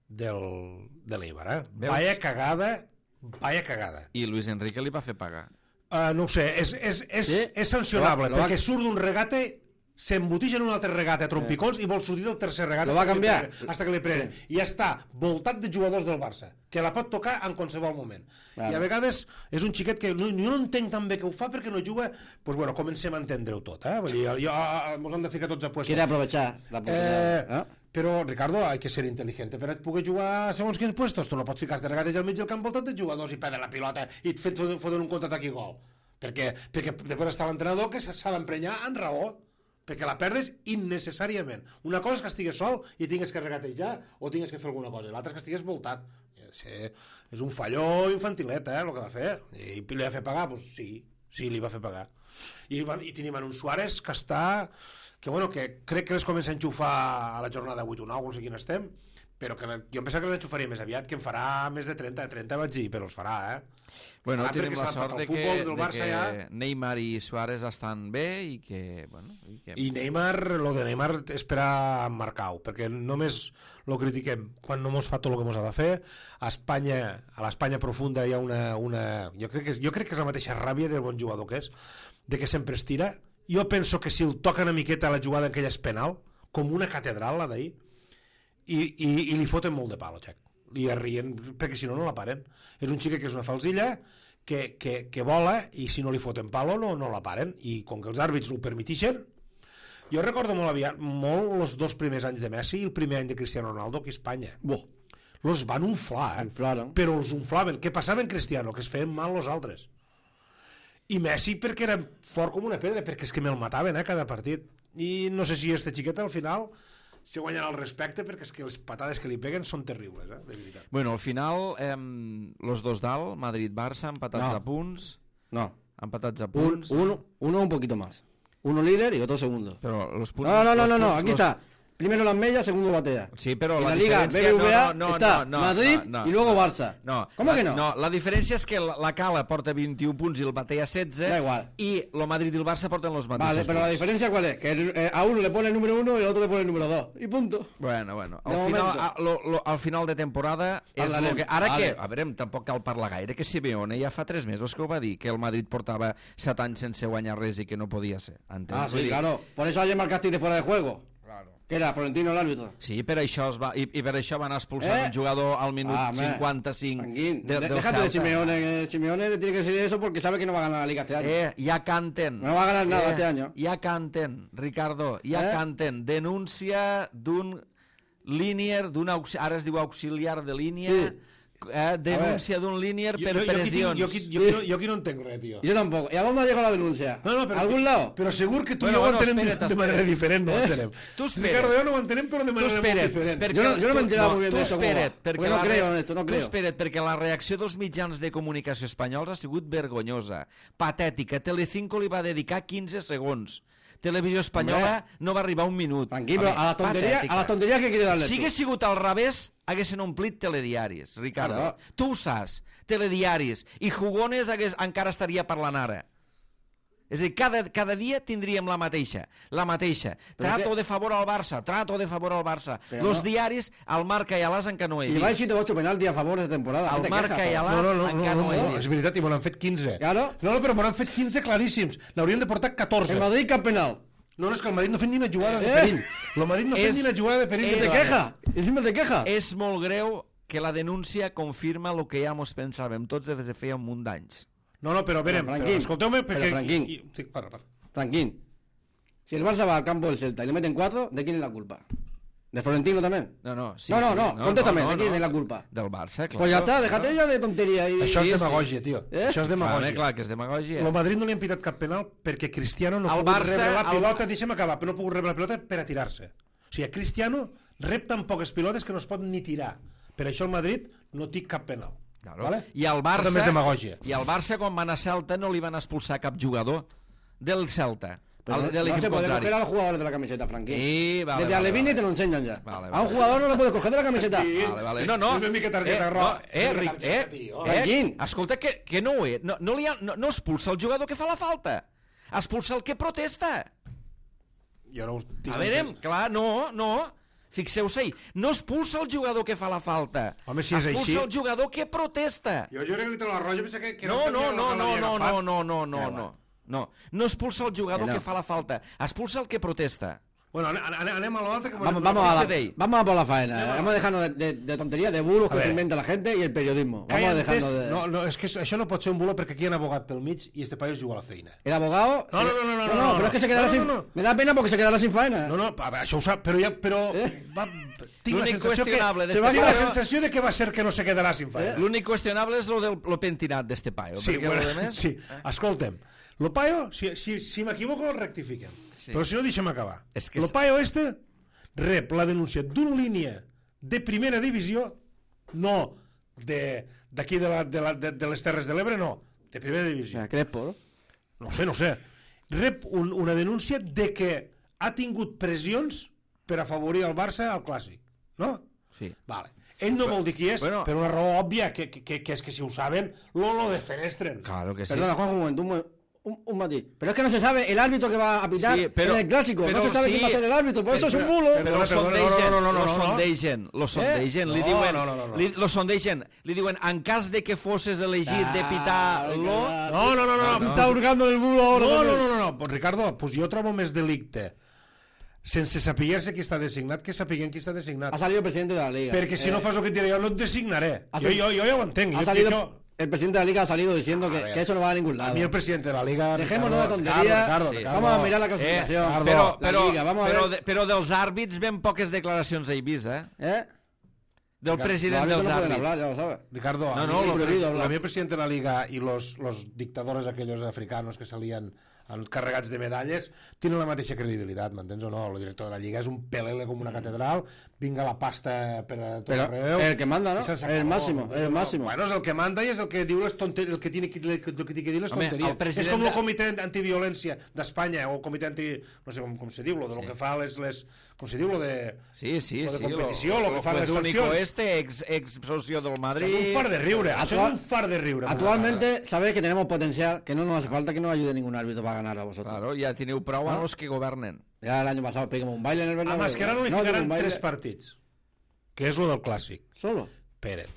del, de l'Eibar, eh? Veus? Vaya cagada, vaya cagada. I Luis Enrique li va fer pagar. Uh, no ho sé, és, és, és, Sí? és sancionable, Lo va- lo va- perquè surt d'un regate, s'embotija en un altre regate a trompicons i vol sortir del tercer regate Lo va hasta que li canviar. prenen, hasta que li prenen. I ja està voltat de jugadors del Barça, que la pot tocar en qualsevol moment. Claro. I a vegades és un xiquet que no, jo no entenc tan bé que ho fa perquè no juga, doncs bueno, comencem a entendre-ho tot, eh? Vull dir, jo, jo, mos hem de ficar tots a puesto. Quiere aprovechar la Eh, oportunidad. ¿eh? però, Ricardo, hay que ser inteligente per poder jugar a segons quins puestos. Tu no pots ficar-te regates al mig del camp voltat de jugadors i perdre la pilota i et fet foten un contraatac i gol. Perquè, perquè després està l'entrenador que s'ha d'emprenyar en raó, perquè la perdes innecessàriament. Una cosa és que estigues sol i tingues que regatejar o tingues que fer alguna cosa, l'altra és que estigues voltat. Sí, és un falló infantilet, eh, el que va fer. I li va fer pagar? Pues sí, sí, li va fer pagar. I, va- i tenim en un Suárez que està... que, bueno, que crec que les comença a enxufar a la jornada vuit o nou, no sé quin estem, però que jo em pensava que les enxufaria més aviat, que en farà més de trenta, trenta vaig dir, però els farà, eh? Bueno, Farà tenim perquè la s'ha sort adaptat de al que, futbol del de Barça que ja. Neymar i Suárez estan bé i que... Bueno, i que... I Neymar, lo de Neymar és per a Marcau, perquè només lo critiquem quan no mos fa tot el que mos ha de fer. A Espanya, a l'Espanya profunda hi ha una... una jo, crec que, jo crec que és la mateixa ràbia del bon jugador que és, de que sempre es tira. Jo penso que si el toca una miqueta la jugada en aquella és penal, com una catedral, la d'ahir, i, i, i li foten molt de pal, Jack. Li arrien, perquè si no, no la paren. És un xique que és una falsilla, que, que, que vola, i si no li foten palo, no, no la paren. I com que els àrbits ho permetixen, jo recordo molt aviat, molt els dos primers anys de Messi i el primer any de Cristiano Ronaldo aquí a Espanya. Buah, Los van unflar, eh? inflaron. Però els unflaven. Què passava en Cristiano? Que es feien mal els altres. I Messi perquè era fort com una pedra, perquè és que me'l mataven, eh, cada partit. I no sé si este xiquet al final se guanyarà el respecte, perquè és que les patades que li peguen són terribles, eh, de veritat. Bueno, al final, eh, los dos dalt, Madrid-Barça, empatats No. a punts, No. empatats a Un, punts... uno, uno un poquito más. Uno líder y otro segundo. Però los punts... No, no, no, los no, no. punts- Aquí los- está. Primero las medias, segundo batea. Sí, però En la, la Liga diferència... B B V A no, no, está no, no, Madrid no, no, y luego no. Barça. No. ¿Cómo la, que no? No, la diferència és que la, la Cala porta vint-i-un punts i el Batea setze. Da igual. I el Madrid i el Barça porten los mateixos Vale, pero la punts. diferencia ¿cuál es? Que eh, a uno le pone el número uno y al otro le pone el número dos. Y punto. Bueno, bueno. De Al final, momento. a, lo, lo, al final de temporada és Parlarem, el que... Ara vale. que, a veure, tampoc cal parlar gaire, que Simeone ja fa tres mesos que ho va dir, que el Madrid portava set anys sense guanyar res i que no podia ser. Entens? Ah, Vull sí, dir, claro. Por eso ayer marcaste de fuera de juego. Claro. Que era Florentino el árbitro. Sí, per això es va, i, i per això van expulsar Eh? un jugador al minut Ah, hombre. cinquanta-cinc Tranquil. de, De- del Déjate de Celta. Simeone. que Simeone te tiene que decir eso porque sabe que no va a ganar la Liga este año. Eh, ja canten. No va a ganar nada eh, este año. Ja canten, Ricardo, ja Eh? canten. Denúncia d'un línier, d'un aux... ara es diu auxiliar de línia, Sí. eh, denúncia d'un línier per jo, jo, aquí tinc, pressions. jo, aquí, jo, aquí no, jo aquí no entenc res, tio. Yo tampoco. ¿Y a dónde ha llegado la denuncia? No, no, però, ¿A algún lado? Però segur que tu Bueno, i jo bueno, ho entenem espera't, de, de manera espera't. diferent, no ho Eh? entenem. Tu espera't. Ricardo, jo no ho entenem, però de Tu manera molt espera't, diferent. perquè- Yo no- yo no me he enterado muy bien tu de eso, cómo va. espera't, perquè Porque no la creo re- en esto, no tu creo. espera't, perquè la reacció dels mitjans de comunicació espanyols ha sigut vergonyosa, patètica. Telecinco li va dedicar quinze segons. Televisió Espanyola no va arribar a un minut. Tranquilo, Home, a la tontería, patètica. a la tontería que quiere darle. Si tú. hagués sigut al revés, haguessin omplit telediaris, Ricardo. Claro. Tu ho saps, telediaris. I Jugones hagués, encara estaria parlant ara. És a dir, cada, cada dia tindríem la mateixa, la mateixa. Trato que... de favor al Barça, trato de favor al Barça. Però Los no. diaris, al Marca i a l'As encara no he si vist. Si vais siete ocho penalti a favor de temporada. Al Marca i a l'As no, no, no, encara no, no, no, he no, vist. és veritat, i me n'han fet quinze. Claro. No, no, però me n'han fet quinze claríssims. N'haurien de portar catorze. El Madrid cap penal. No, no, és que el Madrid no ha fet ni una jugada eh? de perill. El Madrid no ha fet ni una jugada de perill. És, te queja, encima te queja. És molt greu que la denúncia confirma el que ja mos pensàvem tots des de feia un munt d'anys. No, no, però a veure, però, però escolteu-me perquè... Però, Franquín, i, i, para, para. Franquín, si el Barça va al campo del Celta y le meten cuatro, ¿de quién es la culpa? ¿De Florentino también? No, no, sí, no, no, sí, no, no, contéstame, no, no, ¿de quién no, es la culpa? Del Barça, clar. Pues ya está, déjate no. ya de tontería. Y... Això sí, és demagògia, tio. Eh? Això és demagògia. Clar, clar, que és demagògia. El Madrid no li han pitat cap penal perquè Cristiano no ha el pogut Barça, rebre la pilota, el... deixa'm acabar, però no ha pogut rebre la pilota per a tirar-se. O sigui, Cristiano rep tan poques pilotes que no es pot ni tirar. Per això el Madrid no té cap penal. Claro. Vale? I el Barça, demagògia. i el Barça quan van a Celta no li van expulsar cap jugador del Celta. Pero al, no, del no se puede contrari. coger a los jugadores de la camiseta, Frankie. Sí, vale, Desde vale, Alevini vale. te lo enseñan ya. Vale, vale. A un jugador no lo puedes coger de la camiseta. Vale, vale. No, no. Una mica targeta eh, roja. No, eh, Una Ric, targeta, eh, tio. eh, Quin? escolta, que, que no ho és. No, no, li ha, no, no expulsa el jugador que fa la falta. Expulsa el que protesta. Jo no us dic A veure, clar, no, no. Fixeu-se-hi, no expulsa el jugador que fa la falta. Home, si és expulsa així... el jugador que protesta. Jo, jo crec que li treu la roja, pensa que, que No, no, no, no, no, no, no, no, no, Ja, no. No, no expulsa el jugador Que no. que fa la falta, expulsa el que protesta. Bueno, anem, anem, anem a l'altre que... Vamos, vamos, a la, Fíjate. vamos a por la faena. eh. Vamos a dejarnos de, de, de tonterías, de bulos A que ver. se inventa la gente y el periodismo. Que Vamos a antes, dejarnos de... no, no, és que això no pot ser un bulo perquè aquí hi ha un abogat pel mig i este paio es juga a la feina. El abogado... No, no, no, no, no, no, no, pero es que se quedará no, sin... no, no. Me da pena porque se quedará sin faena. No, no, a veure, això ho sap, però ja... Però, Eh? va, tinc la L'únic sensació que... qüestionable Se d'este va dir la paio- sensació de que va ser que no se quedarà sin feina. L'únic qüestionable és lo del lo pentinat d'este paio. Sí, perquè bueno, lo demés... sí. Escolta'm, lo paio, si, si, si m'equivoco, el rectifiquem. Sí. Però si no, deixa'm acabar. És que Lo és- paio este rep la denúncia d'una línia de primera divisió, no de- d'aquí de, la, de, la, de, de les Terres de l'Ebre, no, de primera O divisió. sea, Crespo, ¿no? No sé, no sé. Rep un, una denúncia de que ha tingut pressions per afavorir el Barça al Clàssic, no? Sí. Vale. Ell no vol dir qui és, bueno. per una raó òbvia, que, que, que és que si ho saben, lo, lo defenestren. Claro que sí. Perdona, Juanjo, un momento, un, mo- un, un matiz. Pero es que no se sabe el árbitro que va a pitar Sí, pero- en el clásico. pero No se sabe sí. quién va a ser el árbitro. Por eso es un bulo. Però lo Perdona, perdona, sondegen, no, no, no, no, lo no, no. sondegen, lo sondegen, li No, diuen, no, no, no, no. Li, lo sondegen, li diuen, en cas de que fosses elegit de pitar lo... No, no, no, no. Tú no. estás hurgando en el bulo ahora. No, no, también. no, no, no. Pues, Ricardo, pues jo trobo més delicte sense saber-se qui està designat que sapiguem qui està designat. Ha salido el presidente de la liga. Perquè si Eh, no fas el que et diré jo, no et designaré. ha Jo, sal- jo, jo ja ho entenc. ha Jo, salido, això, el presidente de la liga ha salido diciendo que, ver. que eso no va a ningún a lado. mi el president de la Liga... Dejémonos de Ricardo, tonterías. Ricardo, Sí. Ricardo, Vamos a mirar la Eh, clasificación. Ricardo, però, la però, Liga, vamos a però, ver. de, però dels àrbits ben poques declaracions he vist, eh? ¿Eh? Del Ricardo, president Los árbitros dels no pueden àrbits. hablar, ya lo sabes. Ricardo, No, a no, mí, lo el prohibido pres- hablar. a mí el presidente de la Liga y los, los dictadores aquellos africanos que salían carregats de medalles tienen la mateixa credibilitat, m'entens o no? El director de la Lliga és un pelele com una catedral, vinga la pasta per a tot Pero arreu... el que manda, ¿no? i se'ns El acabó. máximo, el máximo. Bueno, és el que manda i és el que diu les tonteries, el que tiene que, el que, el que, que dir les Home, tonteries. el president És com de- el comitè antiviolència d'Espanya o el comitè anti... no sé com, com se diu, lo de lo Sí. que fa les... les com se diu, lo de... Sí, sí, Lo de sí. competició, lo que fan les único sancions. este, ex, ex socio del Madrid... Això és un far de riure, això Actual- és un far de riure. Actualmente sabéis que tenemos potencial, que no nos hace falta que nos ayude ningún árbitro para ganar a vosotros. Claro, ja teniu prou a ¿No? los que governen. Ya el año pasado pegamos un baile en el A Bernabéu. Mascherano li No, digo, ficaran un baile tres partits, que és lo del clàssic. Solo. Pérez.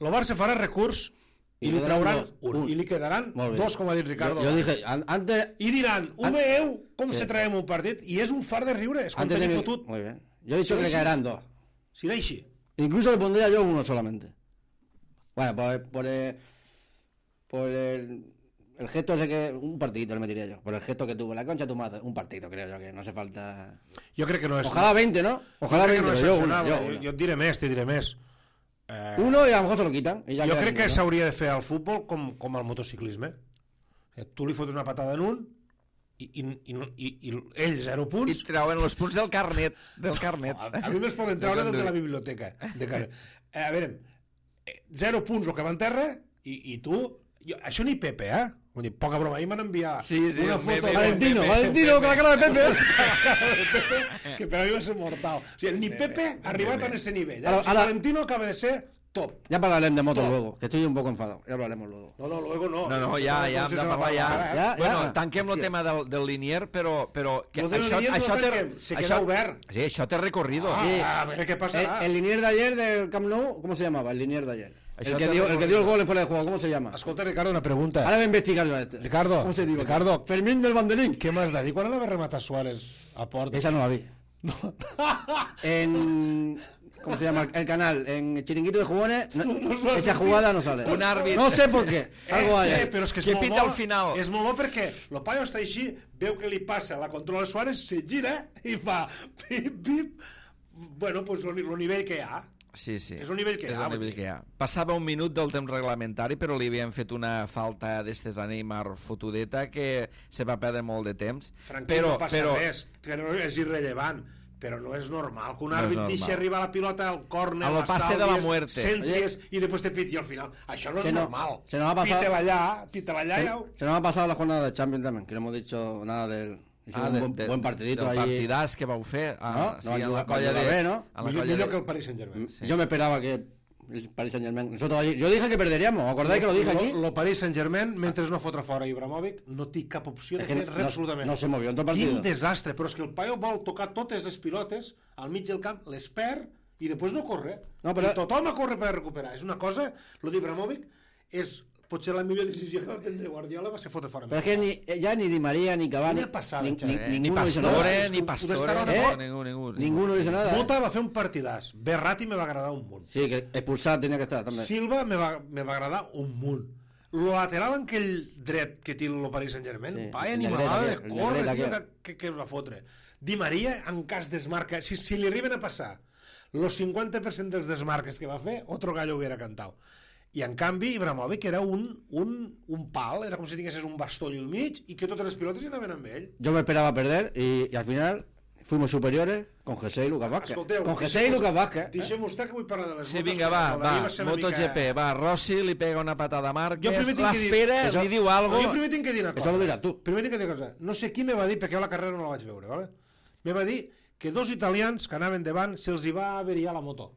Lo Barça farà recurs i I li quedaran trauran dos. un. Un. I li quedaran Molt bé. dos, com ha dit Ricardo. Yo, yo dije, an- antes, I diran, ho veieu com Sí. se traiem un partit? I és un far de riure, és com antes de tenir mi- fotut. Muy bien. Yo he dicho Sí, que le sí. caerán dos. Si era així. Incluso le pondría yo uno solamente. Bueno, por, por, el, por el, el gesto ese que... Un partidito le metería yo. Por el gesto que tuvo la concha de tu madre. Un partito, creo yo, que no hace falta... Jo crec que no és... Ojalá veinte, ¿no? Ojalá jo crec que veinte, no és pero yo uno, sancionable. yo Jo, uno. jo et diré més, te diré més. Eh, Uno y a lo mejor se lo quitan. Y ya jo queda crec que ninguno. s'hauria de fer al futbol com, com al motociclisme. Eh, Tu li fotes una patada en un i, i, i, i, i ell zero I punts. treuen els punts del carnet. Del carnet. A, a mi me'ls poden treure des de la biblioteca. De cara. Eh, a veure, eh, zero punts el que va en terra i, i tu... Jo, això ni Pepe, eh? Vull dir, poca broma, ahir m'han enviat Sí, sí, una el foto... meme, de- Valentino, Pepe, Valentino, con la cara de Pepe. que per a mi va ser mortal. O sigui, ni Pepe ha arribat a ese nivell. Eh? Ara- O sigui, ara- Valentino acaba de ser top. Ya hablaremos de moto Top. luego, que estoy un poco enfadado. Ya hablaremos luego. No, no, luego no. No, no, ja, ja hem de parlar ja. Ja, Bueno, ja. tanquem el Hòstia. tema del, del Linier, però, però que Lo del això, Linier no això té, tanquem, se queda obert. Sí, això té recorrido. Ah, Sí. a ver qué El, pasará. el Linier de ayer del Camp Nou, ¿cómo se llamaba? El Linier de ayer. Això El que, te dio, el recuerdo. que dio el gol en fuera de juego, ¿cómo se llama? Escolta, Ricardo, una pregunta. Ahora voy a investigar yo a este. Ricardo, ¿Cómo se diu? Ricardo. Fermín del Banderín. Què m'has de dir? Quan la va rematar Suárez a porta? Esa no la vi. En... ¿Cómo se llama el canal? En Chiringuito de Jugones, no, esa jugada no sale. Un àrbit. No sé por qué. Algo hay. Eh, ahí. eh, però és que és Que molt pita bo. al final. És molt bo perquè el paio està així, veu que li passa la controla Suárez, se gira i fa pip, pip. Bueno, pues el nivell que hi ha. Sí, sí. És el nivell que hi És ha, el vull nivell dir. que hi ha. Passava un minut del temps reglamentari, però li havien fet una falta d'estes a Neymar fotudeta que se va perdre molt de temps. Franquí, però, no passa però, res, que no és irrellevant, però no és normal que un No és àrbit normal. deixi arribar la pilota al córner, A lo pase de la muerte. centries i després te piti al final. Això no és Se no- normal. se nos ha pasado- Pítela allà, pítela allà. Se, Ja... se nos ha pasado la jornada de Champions también, que no hemos dicho nada del... Hicimos ah, un de, buen, de, buen partidito del ahí. partidàs que vau fer ah, No, sí, no, en la va colla jugar de... bé, ¿no? en la Millor, colla millor de... que el Paris Saint-Germain. Sí. Yo me esperaba que el Paris Saint-Germain... Nosotros allí- yo dije que perderíamos, ¿os acordáis que lo dije aquí? El Paris Saint-Germain, mentre no fotre fora Ibrahimovic, no té cap opció de Es que fer no- res absolutament. no se movió en tot el Quin partido. desastre, però és que el paio vol tocar totes les pilotes al mig del camp, les perd i després no corre. No, però- I tothom a córrer per recuperar. És una cosa, lo d'Ibrahimovic és potser la millor decisió que va prendre Guardiola va ser fotre fora. Pero es que ni, ya ni Di María, ni Cavani, Quina passada, ni, Xavi. ni- Eh, ni ninguno hizo nada. Pastore, És ni que ho Pastore, d'estar eh? ara- ningú, ningú, Ninguno hizo nada. ¿eh? Mota va fer un partidàs. Berratti me va agradar un munt. Sí, que expulsar tenía que estar también. Silva me va, me va agradar un munt. Lo lateral en aquell dret que té el Paris Saint-Germain, Sí, vaya el animalada de negreta, el córrer, negreta tio, que, que, que el va fotre. Di Maria, en cas desmarca, si, si li arriben a passar los cinquanta per cent dels desmarques que va fer, otro gallo hubiera cantado. I en canvi, Ibrahimovic era un, un, un pal, era com si tinguessis un bastoll al mig i que totes les pilotes hi anaven amb ell. Yo me esperaba perder y, y al final fuimos superiores con José y Lucas Vázquez. Escolteu, Con José y Lucas Vázquez. Deixem vostè que vull parlar de les Sí, motos. vinga, que va, lo d'ahir va, ser una MotoGP, mica- va, Rossi li pega una patada a Jo Márquez, primer tinc que dir- l'espera, Això- li diu No, algo... jo primer tinc que dir una cosa. Això ho diràs tu. Primer tinc que dir una cosa. No sé qui me va dir, perquè jo la carrera no la vaig veure, ¿vale? Me va dir que dos italians que anaven davant se'ls hi va averiar la moto.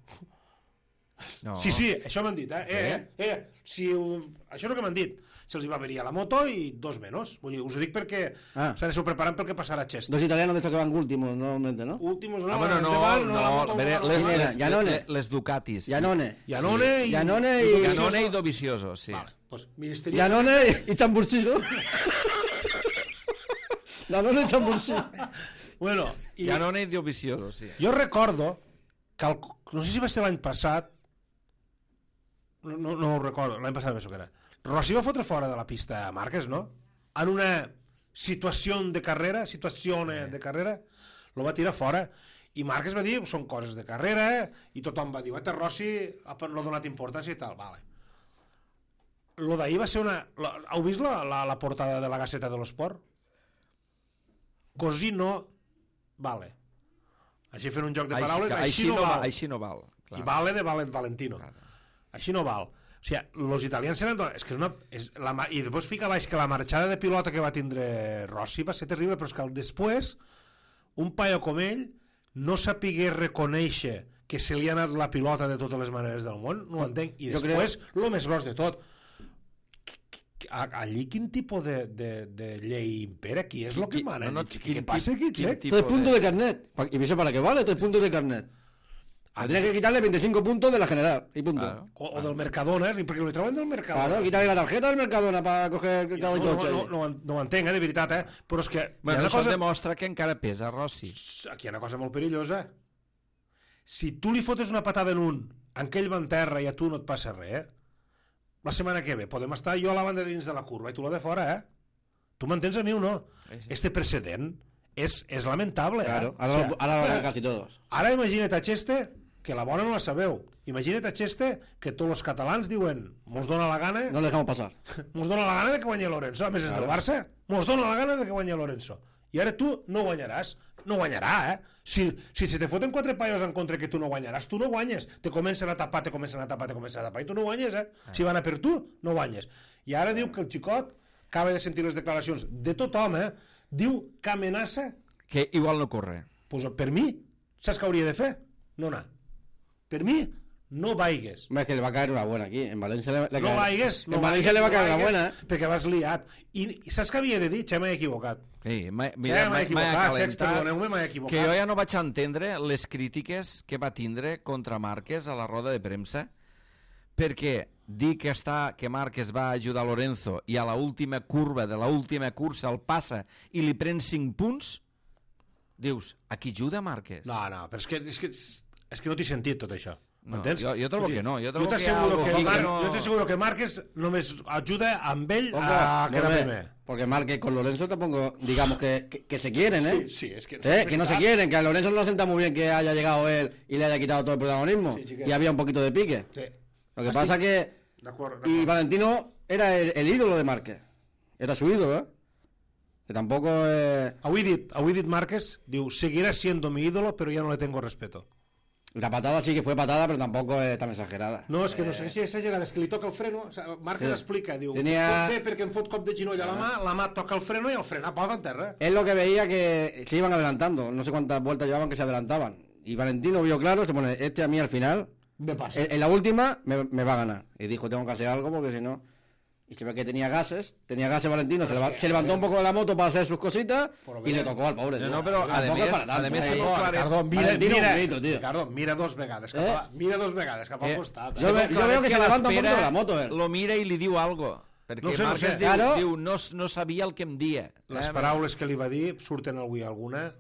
No. Sí, sí, això m'han dit, eh? Eh, eh, eh si ho... Això és el que m'han dit. Se'ls hi va averiar la moto i dos menys. Vull dir, us ho dic perquè Ah. s'aneu preparant pel que passarà a Chester. Dos italianos de estos que van últimos normalmente, ¿no? Últimos, no, Ah, bueno, no, davant, no, la moto, a veure, no, les, no, Mira, les, Janone. les, les Ducatis. Janone. Janone i... Janone i- Dovizioso. Janone i Dovizioso, sí. Vale, pues Ministerio... Janone y Chambursí, ¿no? Janone y Chambursí. Bueno, i... Janone i Dovizioso, sí. Jo recordo que, el, no sé si va ser l'any passat, no, no, no ho recordo, l'any passat penso que era, Rossi va fotre fora de la pista a Márquez, no? En una situació de carrera, situació de carrera, lo va tirar fora. I Márquez va dir, són coses de carrera, i tothom va dir, guaita, Rossi ha no ha donat importància i tal, vale. Lo d'ahir va ser una... La, heu vist la, la, la portada de la Gaceta de l'Esport? Così no vale. Així fent un joc de paraules, així, així, no va, val. així no val. Clar. I vale de Valen Valentino. Clar. Així no val. O sigui, els italians eren... És que és una... És la, ma- I després fica baix que la marxada de pilota que va tindre Rossi va ser terrible, però és que el després un paio com ell no sapigué reconèixer que se li ha anat la pilota de totes les maneres del món, no ho entenc. I Jo després, el més gros de tot, a- allí quin tipus de, de, de llei impera? Qui és el que Qui- mana? no, no, Què- quin què passa aquí, tip- quin Xec? tip- Tres puntos de carnet. Pa- ¿Y eso para qué vale? Tres puntos de carnet. Ah, tienes que quitarle veinticinco puntos de la general. Y punto. Claro. O, o del Mercadona, perquè li treuen del Mercadona. Claro, quitarle la tarjeta del Mercadona para coger el No, caballo no, coche. no, no, no, no ho entenc, eh, de veritat, eh? Però és que hi ha Bueno, una això cosa... demostra que encara pesa Rossi. Aquí hi ha una cosa molt perillosa. Si tu li fotes una patada en un, en que ell va en terra i a tu no et passa res, eh? La setmana que ve podem estar jo a la banda de dins de la curva i tu la de fora, eh? Tu m'entens a mi o no? Sí, sí. Este precedent és, és lamentable, Claro, eh? ahora, O sea, ahora lo harán casi todos. Ara imagina't a Cheste, que la bona no la sabeu. Imagina't a Cheste que tots els catalans diuen mos dona la gana No le dejamos pasar. mos dona la gana de que guanyi Lorenzo. A més, és del Barça. Mos dona la gana de que guanyi Lorenzo. I ara tu no guanyaràs. No guanyarà, eh? Si, si se te foten quatre paios en contra que tu no guanyaràs, tu no guanyes. Te comencen a tapar, te comencen a tapar, te comencen a tapar, i tu no guanyes, eh? Si van a per tu, no guanyes. I ara diu que el xicot acaba de sentir les declaracions de tothom, eh? Diu que amenaça, Que igual no corre. pues, per mi, saps què hauria de fer? No anar. Per mi, no vaigues. Home, és que li va caer una buena aquí. En València le, le No cae- vaigues, no En València le va caer una buena, eh? perquè vas liat. I, i saps què havia de dir? Xe, m'he equivocat. Sí, m'he Xe, mira, m'he m'he equivocat, Xecs, acalentat, perdoneu-me, m'he equivocat. que jo ja no vaig entendre les crítiques que va tindre contra Márquez a la roda de premsa, perquè dir que, està, que Márquez va ajudar Lorenzo i a la última curva de la última cursa el passa i li pren cinc punts, dius, a qui ajuda Márquez? No, no, però és que, és que, és que no t'he sentit tot això. No, M'entens? jo- jo trobo Vull dir, que no, jo trobo que hi ha t'asseguro algo que, aquí Mar... que no- jo t'asseguro que Márquez només ajuda amb ell Ojo, a quedar volver, primer. Porque Márquez con Lorenzo tampoco, digamos que, que, que se quieren, ¿eh? Sí, sí, es que... Eh, que no se quieren, que a Lorenzo no lo sienta muy bien que haya llegado él y le haya quitado todo el protagonismo. Sí, chiquero. Y había un poquito de pique. Sí. Lo que pasa que... De acuerdo, Y Valentino era el, el ídolo de Márquez. Era su ídolo, ¿eh? Que tampoco es... Avui dit, avui dit Márquez, diu, seguirá siendo mi ídolo, pero ya no le tengo respeto. La patada sí que fue patada, pero tampoco es tan exagerada. No, és que no sé si exagerat, és que li toca el freno, o sigui, Márquez Sí. explica, diu, Tenia- pot bé perquè em fot cop de ginoll a la mà, la mà toca el freno i el frena pava en terra. Es lo que veía que se iban adelantando. No sé cuántas vueltas llevaban que se adelantaban. Y Valentino vio claro, se pone, este a mí al final, Me pasa. en, en la última, me, me va a ganar. Y dijo, tengo que hacer algo porque si no... Y se ve que tenía gases, tenía gases Valentino, se, leva- se levantó un poco de la moto para hacer sus cositas y le tocó al pobre. No, tío. no, però, a Tampoco més- es para tanto, a més, eh. se pot aclarir- Ricardo, mira, Valentino mira, bonito, tío. Ricardo, mira dos vegades cap Eh? a, mira dos vegades cap al Eh, costat. Yo ve- yo veo que se levanta un poquito de la moto, eh. Lo mira i li diu algo. Perquè No sé, no Márquez sé. diu, Claro. diu no, no sabia el que em dia. Les Eh, paraules que li va dir surten avui alguna,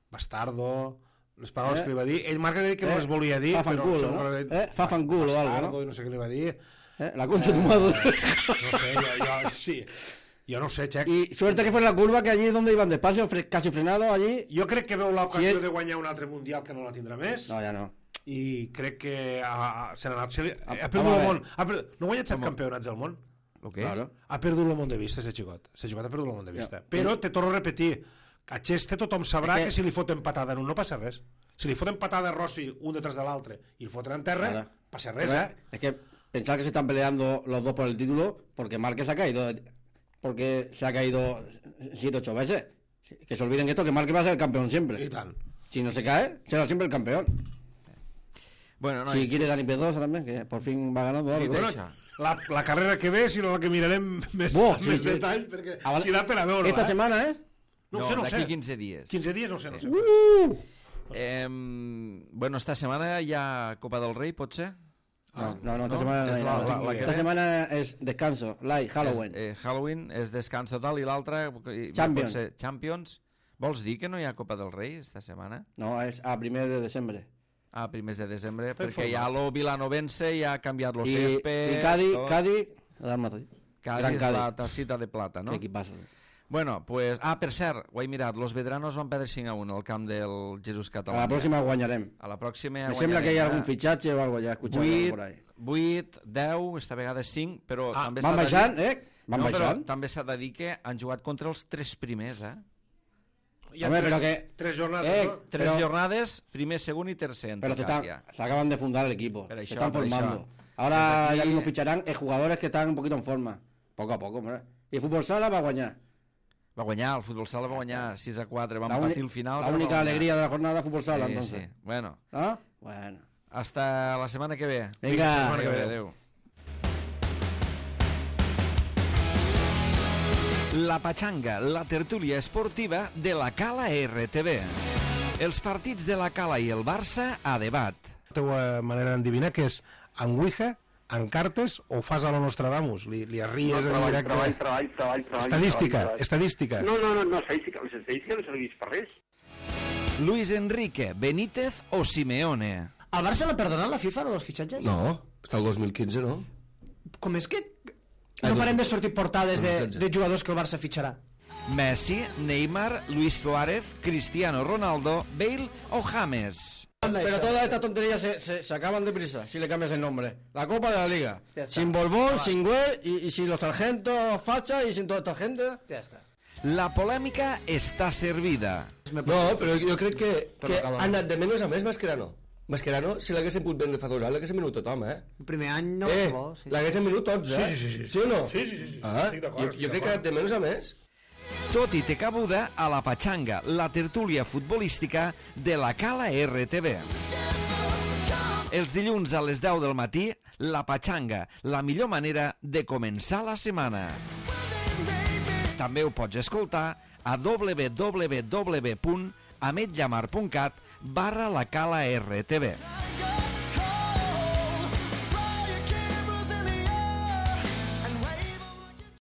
bastardo, les paraules Eh? que li va dir, ell Marc ha dit que no Eh? les volia dir, Fa però fanculo, segur no? que l'ha dit, Eh? Fa fanculo o algo, bastardo, no? i no sé què li va dir. ¿Eh? La concha de tu madre. No sé, jo, jo, sí. Jo no sé, Xec. Y suerte que fue en la curva, que allí es donde iban despacio, fre- casi frenados allí. Jo crec que veu l'ocasió Si ell- de guanyar un altre Mundial que no la tindrà més, No, ya no. i crec que ha, ha, se n'ha anat... Se li, ha Vamos perdut a el ver. món. Ha perdut, no ha guanyat set campionats del món. Lo que? Claro. Ha perdut el món de vista, ese xicot. Ese xicot ha perdut el món de vista. Ja. Però te torno a repetir, a Xeste tothom sabrà És que... que- si li foten patada en un no passa res. Si li foten patada a Rossi un detrás de l'altre i el foten en terra, Claro. passa res, Pero, eh? Es que pensar que se están peleando los dos por el título porque Márquez ha caído, porque se ha caído siete ocho veces. Que se olviden que esto, que Márquez va a ser el campeón siempre. I tant. Si no se cae, será siempre el campeón. Bueno, no, Si és- quiere Dani Pedrosa también, que por fin va ganando I, algo. bueno, deixa. la, la carrera que ve, si no la que mirarem més, Buah, amb sí, més sí. detall, perquè Ah, vale. si da per a veure-la. Esta eh? semana, ¿eh? No, no, ho sé, no ho d'aquí sé. quinze dies. quinze dies, no ho sé, no ho sé. Uh! Eh, bueno, esta setmana hi ha Copa del Rei, pot ser? No, no, no, esta no, semana no es hay la- nada. la- la que Esta ve. semana es descanso, light, Halloween. És, eh, Halloween és descans total i l'altra... eh, Champions. pot ser Champions. Vols dir que no hi ha Copa del Rei esta setmana? No, es a primer de diciembre. A primers de desembre, Està perquè informat. ja lo Vilanovense ja ha canviat los Y, césped... y Cádiz, tot. Cádiz, Real Madrid. Cádiz Gran és Cádiz. la tacita de plata, no? Qué equipazo. Bueno, pues... Ah, per cert, ho he mirat, los veteranos van perdre cinc a un al camp del Jesús A Català. la próxima guañarem. A la pròxima Me sembla que hay guanyarem, algún eh? fichaje o algo, ya he escuchado algo por ahí. vuit, deu, esta vegada cinc, però Ah, també Van s'ha de baixant, dir... eh? Van no, però baixant. també s'ha de dir que han jugat contra els tres primers, eh? Hi ha Home, tres, però que- tres jornades, Eh, no? Tres Pero- jornades, primer, segon i tercer. en Pero se, total, están, ja. se acaban de fundar el equipo. Pero Se això, están pero formando. això. Ahora Desde aquí- ya mismo ficharán eh, jugadores que están un poquito en forma. Poco a poco, hombre. Y el fútbol sala va a guañar. Va guanyar, el futbol sala va guanyar sis a quatre, van La, uni- patir el final. la però única va guanyar. alegría de la jornada fútbol sala, Sí, entonces. sí. Bueno, ¿Ah? Bueno. hasta la setmana que ve. Venga. La setmana que ve, adéu. La Pachanga, la tertúlia esportiva de la Cala R T V. Els partits de la Cala i el Barça a debat. La teva manera d'endevinar que és en Ouija, en cartes o fas a lo Nostradamus? Li, li arries en treball, directe? treball, treball, treball, treball. Estadística, treball, treball. estadística. No, no, no, no, estadística, les estadístiques no serveix per res. Luis Enrique, Benítez o Simeone? Al Barça l'ha perdonat la FIFA, los fitxatges? No, està el dos mil quinze, no? Com és que Ah, no dos- parem de sortir portades de, dos mil setze. de jugadors que el Barça fitxarà? Messi, Neymar, Luis Suárez, Cristiano Ronaldo, Bale o James? Pero todas estas tonterías se, se, se acaban deprisa si le cambias el nombre. La Copa de la Liga. Ya está. Sin Borbón, sin Güell y, y sin los sargentos Facha y sin toda esta gente. Ja està. La polèmica està servida. No, però jo crec que, que acaba, no. ha anat de menys a més Mascherano. Mascherano, si l'haguessin pogut vendre fa dos anys, l'haguessin venut tothom, eh? El primer any no eh, bo, sí. l'haguessin venut tots, eh? Sí, sí, sí, sí. Sí o no? Sí, sí, sí, sí. Ah, Estic d'acord, jo, estic jo crec que ha d'acord. anat de menys a més. Tot i té cabuda a la Pachanga, la tertúlia futbolística de la Cala R T V. Els dilluns a les deu del matí, La Patxanga, la millor manera de començar la setmana. També ho pots escoltar a w w w punt ametllamar punt cat barra la cala R T V.